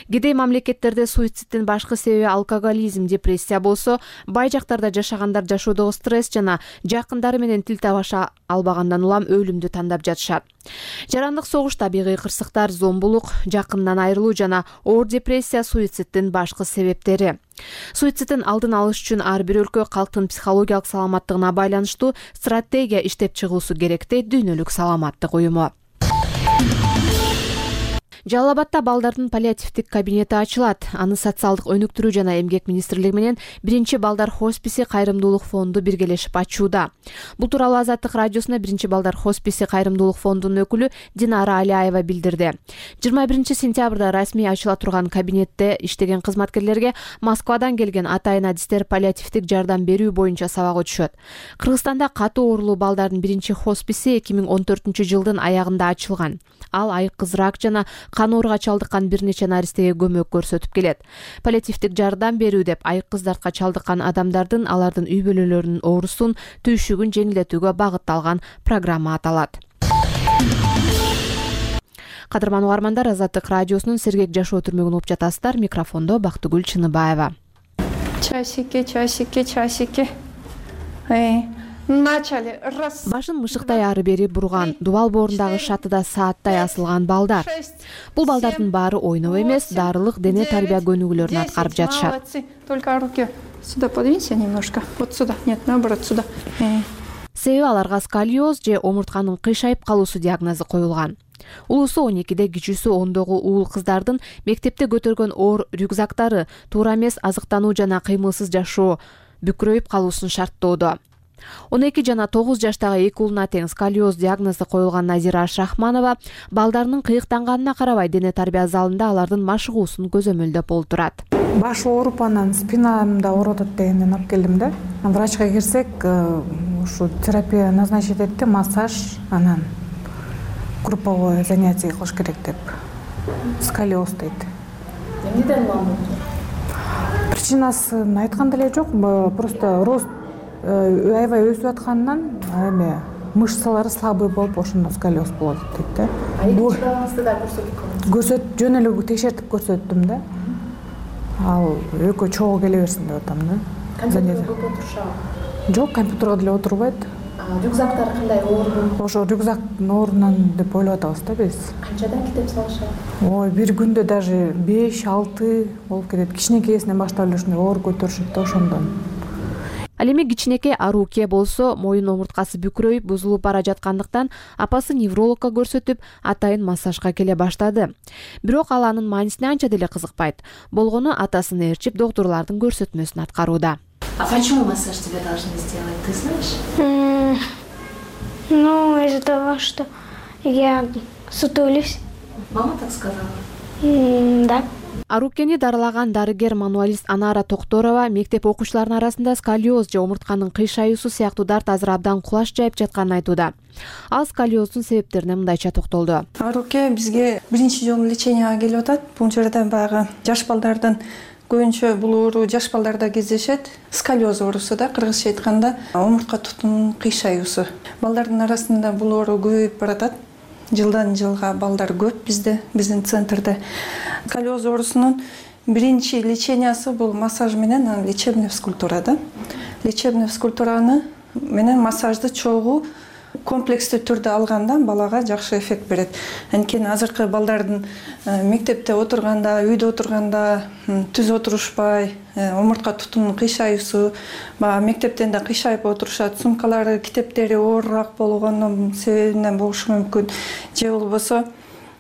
Кедей мамлекеттерде суициддин башкы себеби алкоголизм, депрессия болсо, бай жактарда жашагандар жашоодогу стресс жана жакындары менен тил табыша албагандан улам өлүмдү тандап жатышат. Жарандык согуш, табигый кырсыктар, зомбулук, жакындан айрылуу жана оор депрессия суициддин башкы себептери. Суициддин алдын алыш үчүн ар бир өлкө калктын психологиялык саламаттыгына байланыштуу стратегия иштеп чыгуусу керек дейт Дүйнөлүк саламаттык уюму. Жалал Абадта балдардын паллиативдик кабинети ачылат. Аны социалдык өнүктүрүү жана эмгек министрлиги менен биринчи балдар хосписи кайрымдуулук фонду биргелешип ачууда. Бул тууралуу Азаттык радиосуна биринчи балдар хосписи кайрымдуулук фондунун өкүлү Динара Алиаева билдирди. 21 сентябрда расмий ачыла турган кабинетте иштеген кызматкерлерге Москвадан келген атайын адистер паллиативдик жардам берүү боюнча сабак өтүшөт. Кыргызстанда катуу оорулуу балдардын биринчи хосписи 2014 жылдын аягында ачылган. Ал айкыз рак жана кан ооруга чалдыккан бир нече наристеге көмөк көрсөтүп келет. Паллиативдик жардам берүү деп айкыз дартка чалдыккан адамдардын алардын үй бүлөлөрүнүн оорусун, түйшүгүн жеңилдетүүгө багытталган программа аталат. Кадырман угармандар, Азаттык радиосунун Сергек жашоо түрмөгүн угуп жатасыздар. Микрофондо Бактыгүл Чыныбаева. Часики. Башын мышыктай ары бери бурган, дубал боорундагы шатыда сааттай асылган балдар. Бул балдардын баары ойноп эмес, дарылык дене тарбия көнүгүүлөрүн аткарып жатышат. Только руки сюда подвинься немножко. Вот сюда. Нет, наоборот, сюда. Себеби аларга сколиоз же омуртканын кыйшайып калуусу диагнозу коюлган. Улуусу 12-де, кичүүсү 10догу уул кыздардын мектепте көтөргөн оор рюкзактары туура эмес азыктануу жана кыймылсыз жашоо, бүкүрөйүп калуусун шарттоодо. 12 жана 9 жаштагы эки уулуна тең сколиоз диагнозу коюлган Назира Шахманова балдарынын кыйыктанганына карабай дене тарбия залында алардын машыгуусун көзөмөлдөп олтурат. Баш ооруп, анан спинамда ооруп атат дегенден алып келдим да. Врачка кирсек, ушу терапия назначить этти, массаж, анан групповое занятие кылыш керек деп. Сколиоз дейт. Эмнеден улам? Причинасын айткан деле жок, просто рост аябай өсүп атканынан эме мышцалары слабый болуп ошондо сколиоз болот дейт да. Экинчи балаңызды да көрсөттүк. Жөн эле текшертип көрсөттүм да. Ал экөө чогуу келе берсин деп атам да. Компьютерге көп отурушабы? Жок, компьютерге деле отурбайт. Рюкзактар кандай оорду? Ошо рюкзактын оорунан деп ойлоп атабыз да биз. Канчадан китеп салышат? Ой, бир күндө даже 5-6 болуп кетет. Кичинекейсинен баштап эле ушундай оор көтөрүшөт да ошондон. Ал эми кичинекей Аруке болсо моюн омурткасы бүкүрөйүп, бузулуп бара жаткандыктан апасы неврологко көрсөтүп, атайын массажга келе баштады. Бирок ал анын маанисине анча деле кызыкпайт. Болгону атасын ээрчип, доктурлардын көрсөтмөсүн аткарууда. А почему массаж тебе должны сделать, ты знаешь? Ну, из-за того, что я сутулюсь. Мама так сказала? Да. Арукени дарылаган дарыгер-мануалист Анара Токторова мектеп окуучуларынын арасында сколиоз же омуртканын кыйшаюусу сыяктуу дарт азыр абдан кулаш жайып жатканын айтууда. Ал сколиоздун себептерине мындайча токтолду. Аруке бизге биринчи жолу леченияга келип атат. Бул жерде баягы жаш балдардын көбүнчө бул оору жаш балдарда кездешет. Сколиоз оорусу да, кыргызча айтканда омуртка тутумунун кыйшаюусу. Балдардын арасында бул оору көбөйүп баратат. Жылдан жылга балдар көп биздин центрде. Сколиоз оорусунун биринчи лечениясы бул массаж менен лечебный физкультура да. Лечебный физкультураны менен массажды чогуу комплекстүү түрдө алганда балага жакшы эффект берет. Анткени азыркы балдардын мектепте отурганда, үйдө отурганда түз отурушпай, омуртка тутумунун кыйшаюусу, мектептен да кыйшайып отурушат, сумкалары, китептери оорураак болгонун себебинен болушу мүмкүн. Же болбосо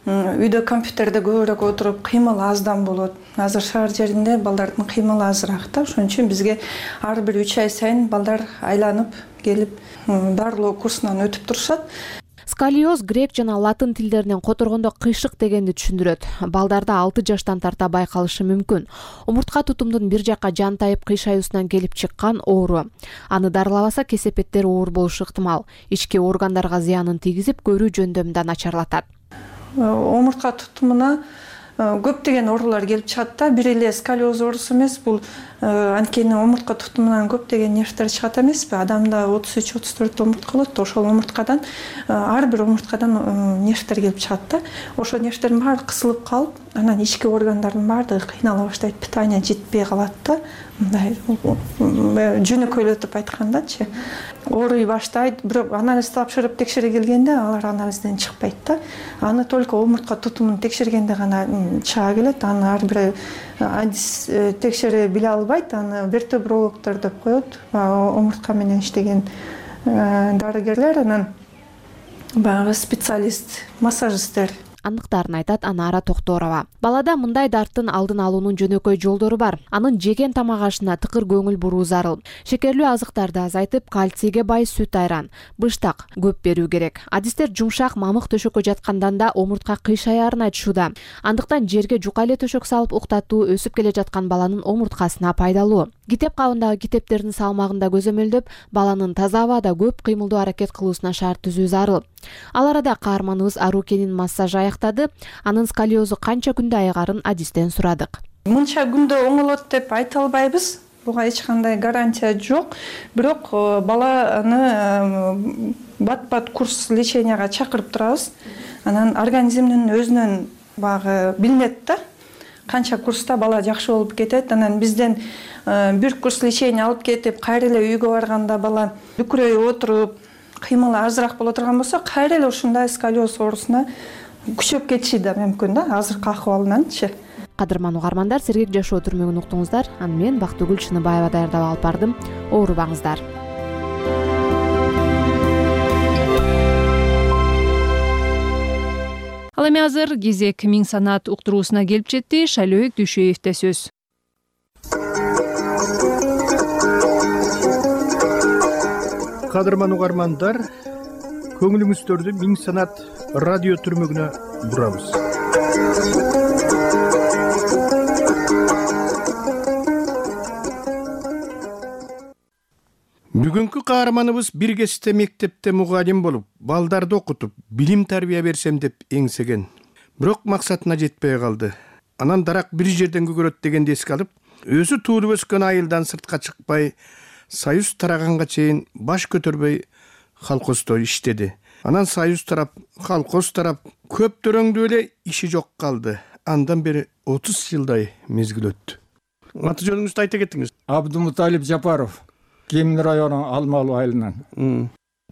үйдө компьютерде көбүрөөк отуруп, кыймыл аздан болот. Азыр шаар жеринде балдардын кыймылы азыраак да. Ошон үчүн бизге ар бир 3 ай сайын балдар айланып келип дарылоо курсунан өтүп турушат. Сколиоз грек жана латын тилдеринен которгондо кыйшык дегенди түшүндүрөт. Балдарда 6 жаштан тарта байкалышы мүмкүн. Омуртка тутумдун бир жакка жантайып кыйшаюусунан келип чыккан оору. Аны дарылабаса кесепеттер оор болушу ыктымал. Ички органдарга зыянын тийгизип, көрүү жөндөмүн да начарлатат. Омуртка тутумуна көптөгөн оорулар келип чыгат да. Бир эле сколиоз оорусу эмес, бул анткени омуртка тутумунан көптөгөн нервтер чыгат эмеспи? Адамда 33-34 омуртка болот, ошол омурткадан ар бир омурткадан нервтер келип чыгат да. Ошол нервтердин баары кысылып калып, анан ички органдардын баардыгы кыйнала баштайт, питание жетпей калат да. Мындай жөнөкөйлөтүп айткандачы. Ооруй баштайт, бирок анализ тапшырып текшере келгенде алар анализден чыкпайт да. Аны только омуртка тутумун текшергенде гана чыга келет. Аны ар бир адис текшере биле албайт. Аны вертебрологдор деп коет. Омуртка менен иштеген дарыгерлер, анан баягы специалист, массажисттер. Анықтарын айтат Анара Токторова. Балада мындай дарттын алдын алуунун жөнөкөй жолдору бар. Анын жеген тамак ашына тыкыр көңүл буруу зарыл. Шекерлүү азыктарды азайтып, кальцийге бай сүт айран, быштак көп берүү керек. Адистер жумшак мамык төшөккө жаткандан да омуртка кыйшаярын айтышууда. Андыктан жерге жука эле төшөк салып уктатуу өсүп келе жаткан баланын омурткасына пайдалуу. Китеп кабындагы китептердин салмагында көзөмөлдөп, баланын таза абада көп кыймылдуу аракет кылуусуна шарт түзүү зарыл. Ал арада каарманыбыз Арукенин массажы аяктады. Анын сколиозу канча күндө айыгарын адистен сурадык. Мынча күндө оңолот деп айта албайбыз. Буга эч кандай гарантия жок. Бирок баланы бат-бат курс леченияга чакырып турабыз. Анан организмдин өзүнөн багы билинет да. Канча курста бала жакшы болуп кетет. Анан бизден бир курс лечение алып кетип, кайра эле үйгө барганда бала дүкүрөй отуруп, кыймылы азыраак боло турган болсо, кайра эле ушундай сколиоз оорусуна күчөп кетиши да мүмкүн да, азыркы акыбалынанчы. Кадырман угармандар, сергек жашоо түрмөгүн уктуңуздар. Аны мен Бактыгүл Чыныбаева даярдап алып бардым. Оорубаңыздар. Ал эми азыр кезек Миң санаат уктуруусуна келип жетти. Шайлөөк Дүйшөевде сөз. Кадырман угармандар, көңүлүңүздөрдү Миң санаат радио түрмөгүнө бурабыз. Бүгүнкү каарманыбыз бир кезте мектепте мугалим болуп, балдарды окутуп, билим тарбия берсем деп эңсеген. Бирок максатына жетпей калды. Анан дарак бир жерден көгөрөт дегенди эске алып, өзү туулуп өскөн айылдан сыртка чыкпай, союз тараганга чейин баш көтөрбөй колхоздо иштеди. Анан союз тарап, колхоз тарап, көптөрөңдүү эле иши жок калды. Андан бери 30 жылдай мезгил өттү. Аты жөнүңүздү айта кетиңиз. Абдумуталип Жапаров, Кемин району Алмалуу айылынан.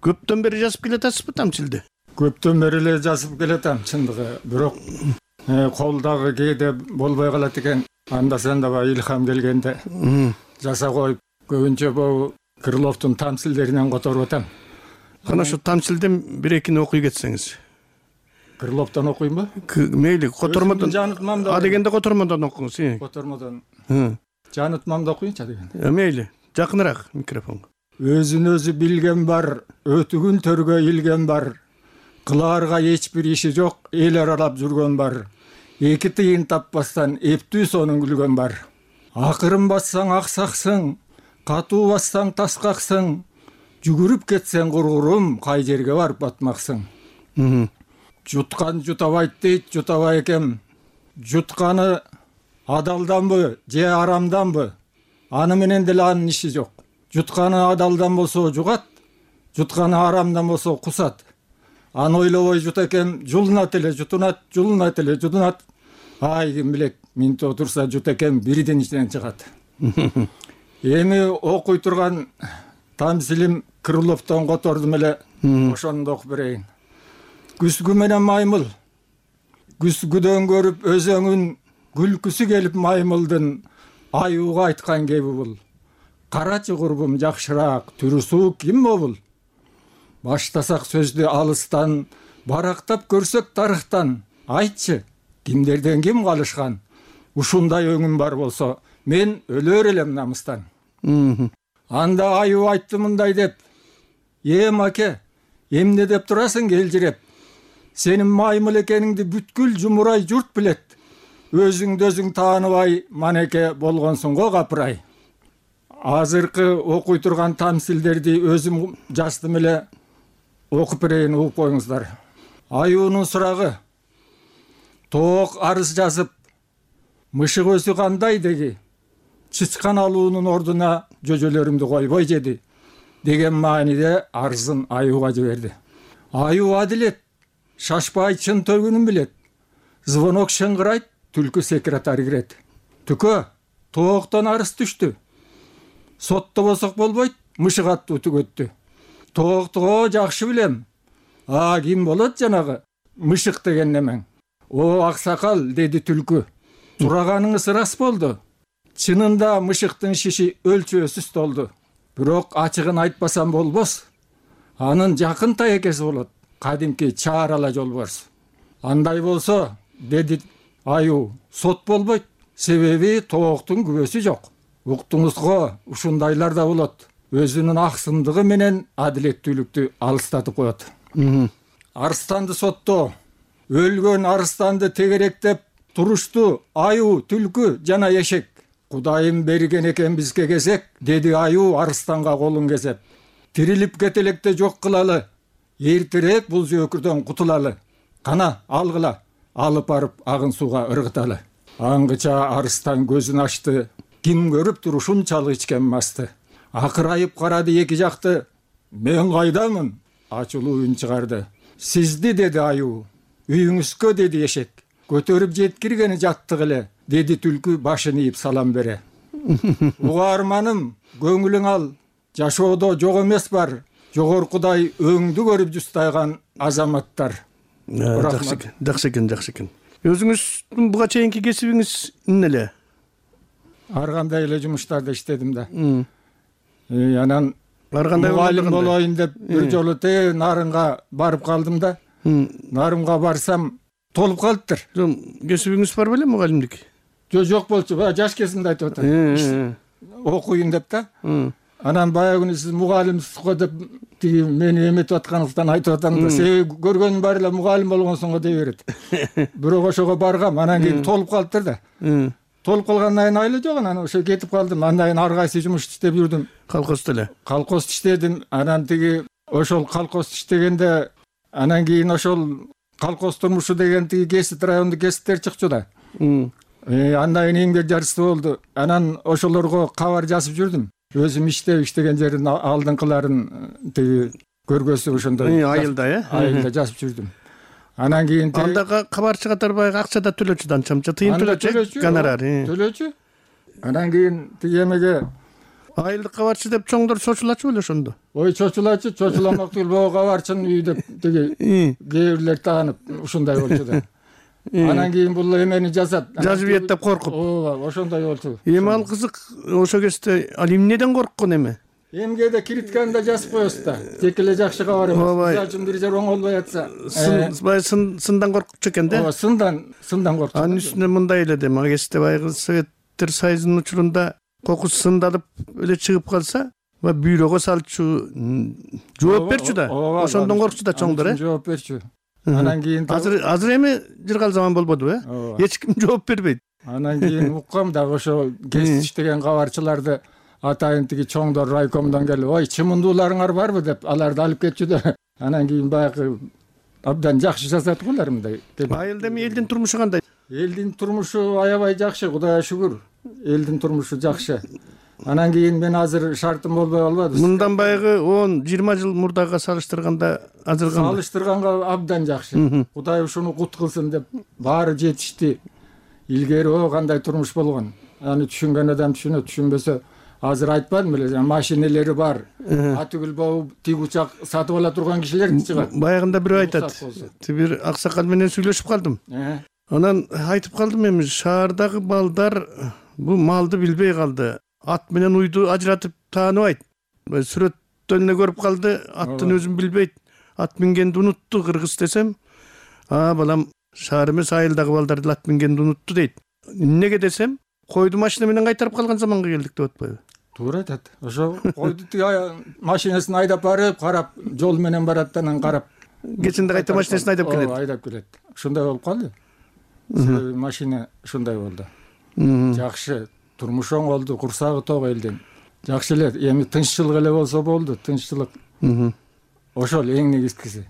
Көптөн бери жазып келатасызбы тамчилди? Көптөн бери эле жазып келатам, чындыгы. Бирок колдагы кээде болбой калат экен. Анда санда илхам келгенде жаса коюп, көбүнчө бул Крыловдун тамчилдеринен которуп атам. Кана ошо тамчилден бир-экини окуй кетсеңиз. Крыловдон окуймбу? Мейли, котормодон. А дегенде котормодон окуңуз. Котормодон. Жанытмамда окуйнчу дегенде. Мейли, жакыныраак микрофонго. Өзүн өзү билген бар, өтүгүн төргө илген бар. Кылаарга эч бир иши жок, эл аралап жүргөн бар. Эки тыйын таппастан эптүү сонун күлгөн бар. Акырын бассаң аксаксың, катуу бассаң таскаксың. Жүгүрүп кетсең кургурум, кай жерге барып батмаксың. Жуткан жутабайт дейт, жутабай экем. Жутканы адалданбы же арамданбы? Аны менен деле анын иши жок. Жутканы адалдан болсо жугат, жутканы арамдан болсо кусат. Аны ойлобой жут экем, жулунат эле жутунат, жулунат эле жутунат. Ай ким билет, минте отурса жут экем бирден ичинен чыгат. Эми окуй турган тамсилим Крыловдон котордум эле, ошону окуп берейин. Күзгү менен маймыл, күзгүдөн көрүп өзөңүн, күлкүсү келип маймылдын, аюуга айткан кеби бул. Карачы курбум жакшыраак, түрүсү ким бобул? Баштасак сөздү алыстан, барактап көрсөк тарыхтан. Айтчы, кимдерден ким калышкан? Ушундай өңүм бар болсо, мен өлөр элем намыстан. Анда аюу айтты мындай деп: Маке, эмне деп турасың келжиреп? Сенин маймыл экениңди бүткүл жумурай журт билет. Өзүңдү өзүң тааныбай, манеке болгонсуң го капырай. Азыркы окуй турган тамсилдерди өзүм жаздым эле, окуп берейин, угуп коюңуздар. Аюунун сурагы: тоок арыз жазып, мышык өзү кандай деги? Чычкан алуунун ордуна жөжөлөрүмдү койбой жеди, деген мааниде арызын аюуга жиберди. Аюу адилет, шашпай чын төгүнүн билет. Звонок шыңгырайт, түлкү секретарь кирет. Түкө, тооктон арыз түштү. Соттобосок болбойт, мышык аттуу түгөттү. Тоокту жакшы билем. Ким болот жанагы мышык деген немең? Аксакал, деди түлкү. Сураганыңыз рас болду. Чынында мышыктын шиши өлчөөсүз толду. Бирок ачыгын айтпасам болбос. Анын жакын таекеси болот. Кадимки Чаарала жолборс. Андай болсо, деди Аюу, сот болбойт. Себеби тооктун күбөсү жок. Уктуңузго, ушундайлар да болот. Өзүнүн аксымдыгы менен адилеттүүлүктү алыстатып коет. Арстанды соттоо, өлгөн арстанды тегеректеп турушту аю, түлкү жана эшек. Кудайым берген экен бизге кезек, деди аю арстанга колун кезеп. Тирилип кетелекте жок кылалы, эртерээк бул жөөкүрдөн кутулалы. Кана, алгыла, алып барып агын сууга ыргыталы. Аңгыча арстан көзүн ачты, ким көрүп тур ушунчалык ичкен масты. Акырайып карады эки жакты, мен кайдамын? Ачылуу үн чыгарды. Сизди, деди аю. Үйүңүзгө, деди эшек. Көтөрүп жеткиргени жаттык эле, деди түлкү башын ийип салам бере. Угарманым, көңүлүң ал, жашоодо жок эмес бар. Жогоркудай өңдү көрүп жустайган азаматтар. Жакшы экен. Өзүңүздүн буга чейинки кесибиңиз эмне эле? Ар кандай эле жумуштарда иштедим да. Анан мугалим болоюн деп бир жолу Нарынга барып калдым да. Нарынга барсам толуп калыптыр. Кесибиңиз бар беле мугалимдик? Жок болчу, жаш кезимде айтып атам. Окуйун деп да. Анан баягы күнү сиз мугалимсиз го деп тиги мени эметип атканыңыздан айтып атам да. Себеби көргөнүм баары эле мугалим болгонсуң го дей берет. Бирок ошого баргам, анан кийин толуп калыптыр да. Толуп калгандан кийин айла жок, анан ошо кетип калдым. Андан кийин ар кайсы жумуш иштеп жүрдүм. Колхоздо эле. Колхозду иштедим. Анан тиги ошол колхозду иштегенде анан кийин ошол колхоз турмушу деген тиги кесип райондук кесиптер чыкчу да. Андан кийин эмгек жарышты болду. Анан ошолорго кабар жазып жүрдүм. Өзүм иштеген жердин алдыңкыларын тиги көргөзүп ошондой айылда жазып жүрдүм. Анан кийин анда кабарчы катары баягы акча да төлөчү, анча тыйын төлөчү, гонорар. Төлөчү. Анан кийин тиги эмеге айылдык кабарчы деп чоңдор чочулачу беле ошондо? Ой, чочулачу, чочуламак түгүл, могу кабарчынын үйү деп тиги кээ бирлер таанып ушундай болчу да. Анан кийин бул эмени жазат. Жазып ийет деп коркуп. Ооба, ошондой болчу. Эми ал кызык, ошо кезде ал эмнеден корккон эми? Эмгеде киритканда жазып коесуз да. Тек эле жакшы кабар эмес. Мисалы үчүн бир жер оңолбой атса, сындан коркчу экен да? Ооба, сындан коркчу. Анын үстүнө мындай эле дем, ал кезде баягы Советтер Союзунун учурунда кокус сындалып эле чыгып калса, бүйрөгө салчу, жооп берчү да. Ошондон коркчу да чоңдор, жооп берчү. Анан кийин азыр эми жыргал заман болбоду, эч ким жооп бербейт. Анан кийин уккам да ошо кесип иштеген кабарчыларды атайын тиги чоңдор райкомдон келип, ой, чымындууларыңар барбы деп аларды алып кетчү да. Анан кийин баягы абдан жакшы жазат го алар мындай. Айылда эми элдин турмушу кандай? Элдин турмушу аябай жакшы, Кудайга шүгүр. Элдин турмушу жакшы. Анан кийин мен азыр шартым болбой калбады. Мындан баягы 10-20 жыл мурдага салыштырганда азыр кандай? Салыштырганга абдан жакшы. Кудай ушуну кут кылсын деп баары жетишти. Илгери кандай турмуш болгон. Аны түшүнгөн адам түшүнөт, түшүнбөсө азыр айтпадым беле, машинелери бар. Атүгүл болуп тиг учак сатып ала турган кишилер чыгат. Баягында бирөө айтат. Бир аксакал менен сүйлөшүп калдым. Анан айтып калдым, эми шаардагы балдар бул малды билбей калды. Ат менен уйду ажыратып тааныбайт. Сүрөттөн эле көрүп калды, аттын өзүн билбейт. Ат мингенди унутту, кыргыз десем, балам шаар эмес, айылдагы балдар ат мингенди унутту дейт. Эмнеге десем, койду машина менен кайтарып калган заманга келдик деп атпайбы? Туура айтат. Ошо койду машинесин айдап барып, карап, жол менен барат, анан карап. Кечинде кайта машинесин айдап келет. Айдап келет. Ушундай болуп калды. Машина ушундай болду. Жакшы. Турмуш оңолду, курсагы ток элдин. Жакшы эле, эми тынччылык эле болсо болду, тынччылык. Ошол эң негизгиси.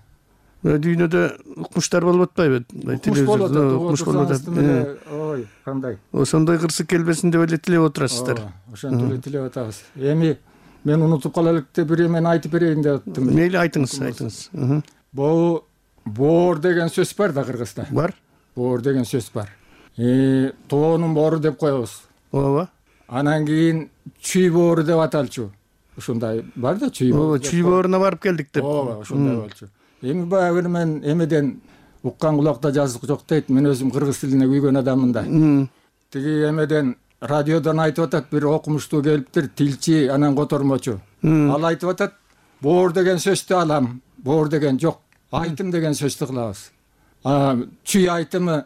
Дүйнөдө укмуштар болуп атпайбы? Укмуш болот, укмуш болот. Ой, кандай? Ошондой кырсык келбесин деп эле тилеп отурасыздар. Ошентип эле тилеп атабыз. Эми мен унутуп кала элек деп бир эмени айтып берейин деп аттым. Мейли, айтыңыз. Боор деген сөз бар да кыргызда. Бар. Боор деген сөз бар. Тоонун боору деп коебуз. Ооба. Анан кийин чүй боору деп аталчу. Ушундай бар да, чүй боору. Чүй бооруна барып келдик деп. Ооба, ушундай болчу. Эми баягы мен эмеден уккан кулакта жазык жок дейт. Мен өзүм кыргыз тилине күйгөн адаммын да. Тиги эмеден радиодон айтып атат, бир окумуштуу келиптир, тилчи, анан котормочу. Ал айтып атат, боор деген сөздү алам, боор деген жок, айтым деген сөздү кылабыз. чүй айтымы,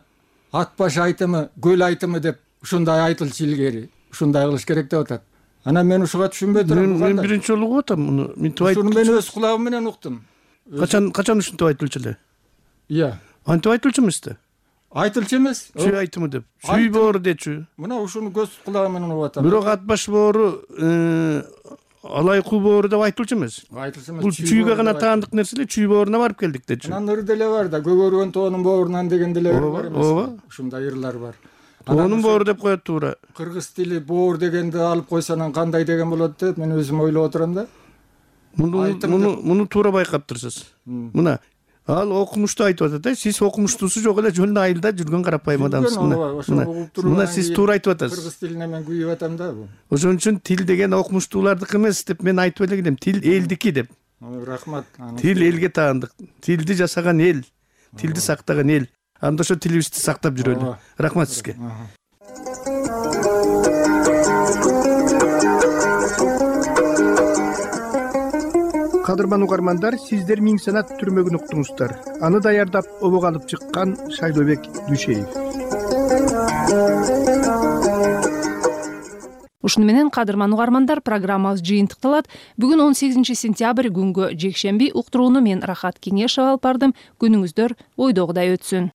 ат баш айтымы, көл айтымы деп ушундай айтылчу илгери. Ушундай кылыш керек деп атат. Анан мен ушуга түшүнбөй турам. Мен биринчи жолу угуп атам муну. Ушуну мен өз кулагым менен уктум. Качан ушинтип айтылчу эле? Иә. Антип айтылчу эмес да? Айтылчу эмес. Чүй айтымы деп. Чүй боору дечү. Мына ушуну көз кулагым менен угуп атам. Бирок ат баш боору, алай кул боору деп айтылчу эмес. Айтылчу эмес. Бул чүйгө гана таандык нерсе эле, чүй бооруна барып келдик дечү. Анан ыр деле бар да, көгөргөн тоонун боорунан деген деле бар эмес. Ооба. Ушундай ырлар бар. Тоонун боору деп коет туура. Кыргыз тили боор дегенди алып койсо анан кандай деген болот деп мен өзүм ойлоп отурам да. Муну туура байкаптырсыз. Мына ал окумуштуу айтып атат, сиз окумуштуусу жок эле жөн айылда жүргөн карапайым адамсыз. Мына сиз туура айтып атасыз. Кыргыз тилине мен күйүп атам да бул. Ошон үчүн тил деген окумуштуулардыкы эмес деп мен айтып эле келем. Тил элдики деп. Рахмат. Тил элге таандык. Тилди жасаган эл, тилди сактаган эл. Анда ошо тилибизди сактап жүрөлү. Рахмат сизге. Кадырман угармандар, сиздер Миң санат түрмөгүн уктуңуздар. Аны даярдап обого алып чыккан Шайлообек Дүйшеев. Ушуну менен кадырман угармандар, программабыз жыйынтыкталат. Бүгүн 18 сентябрь күнгө жекшемби, уктурууну мен Рахат Кеңешова алып бардым. Күнүңүздөр ойдогудай өтсүн.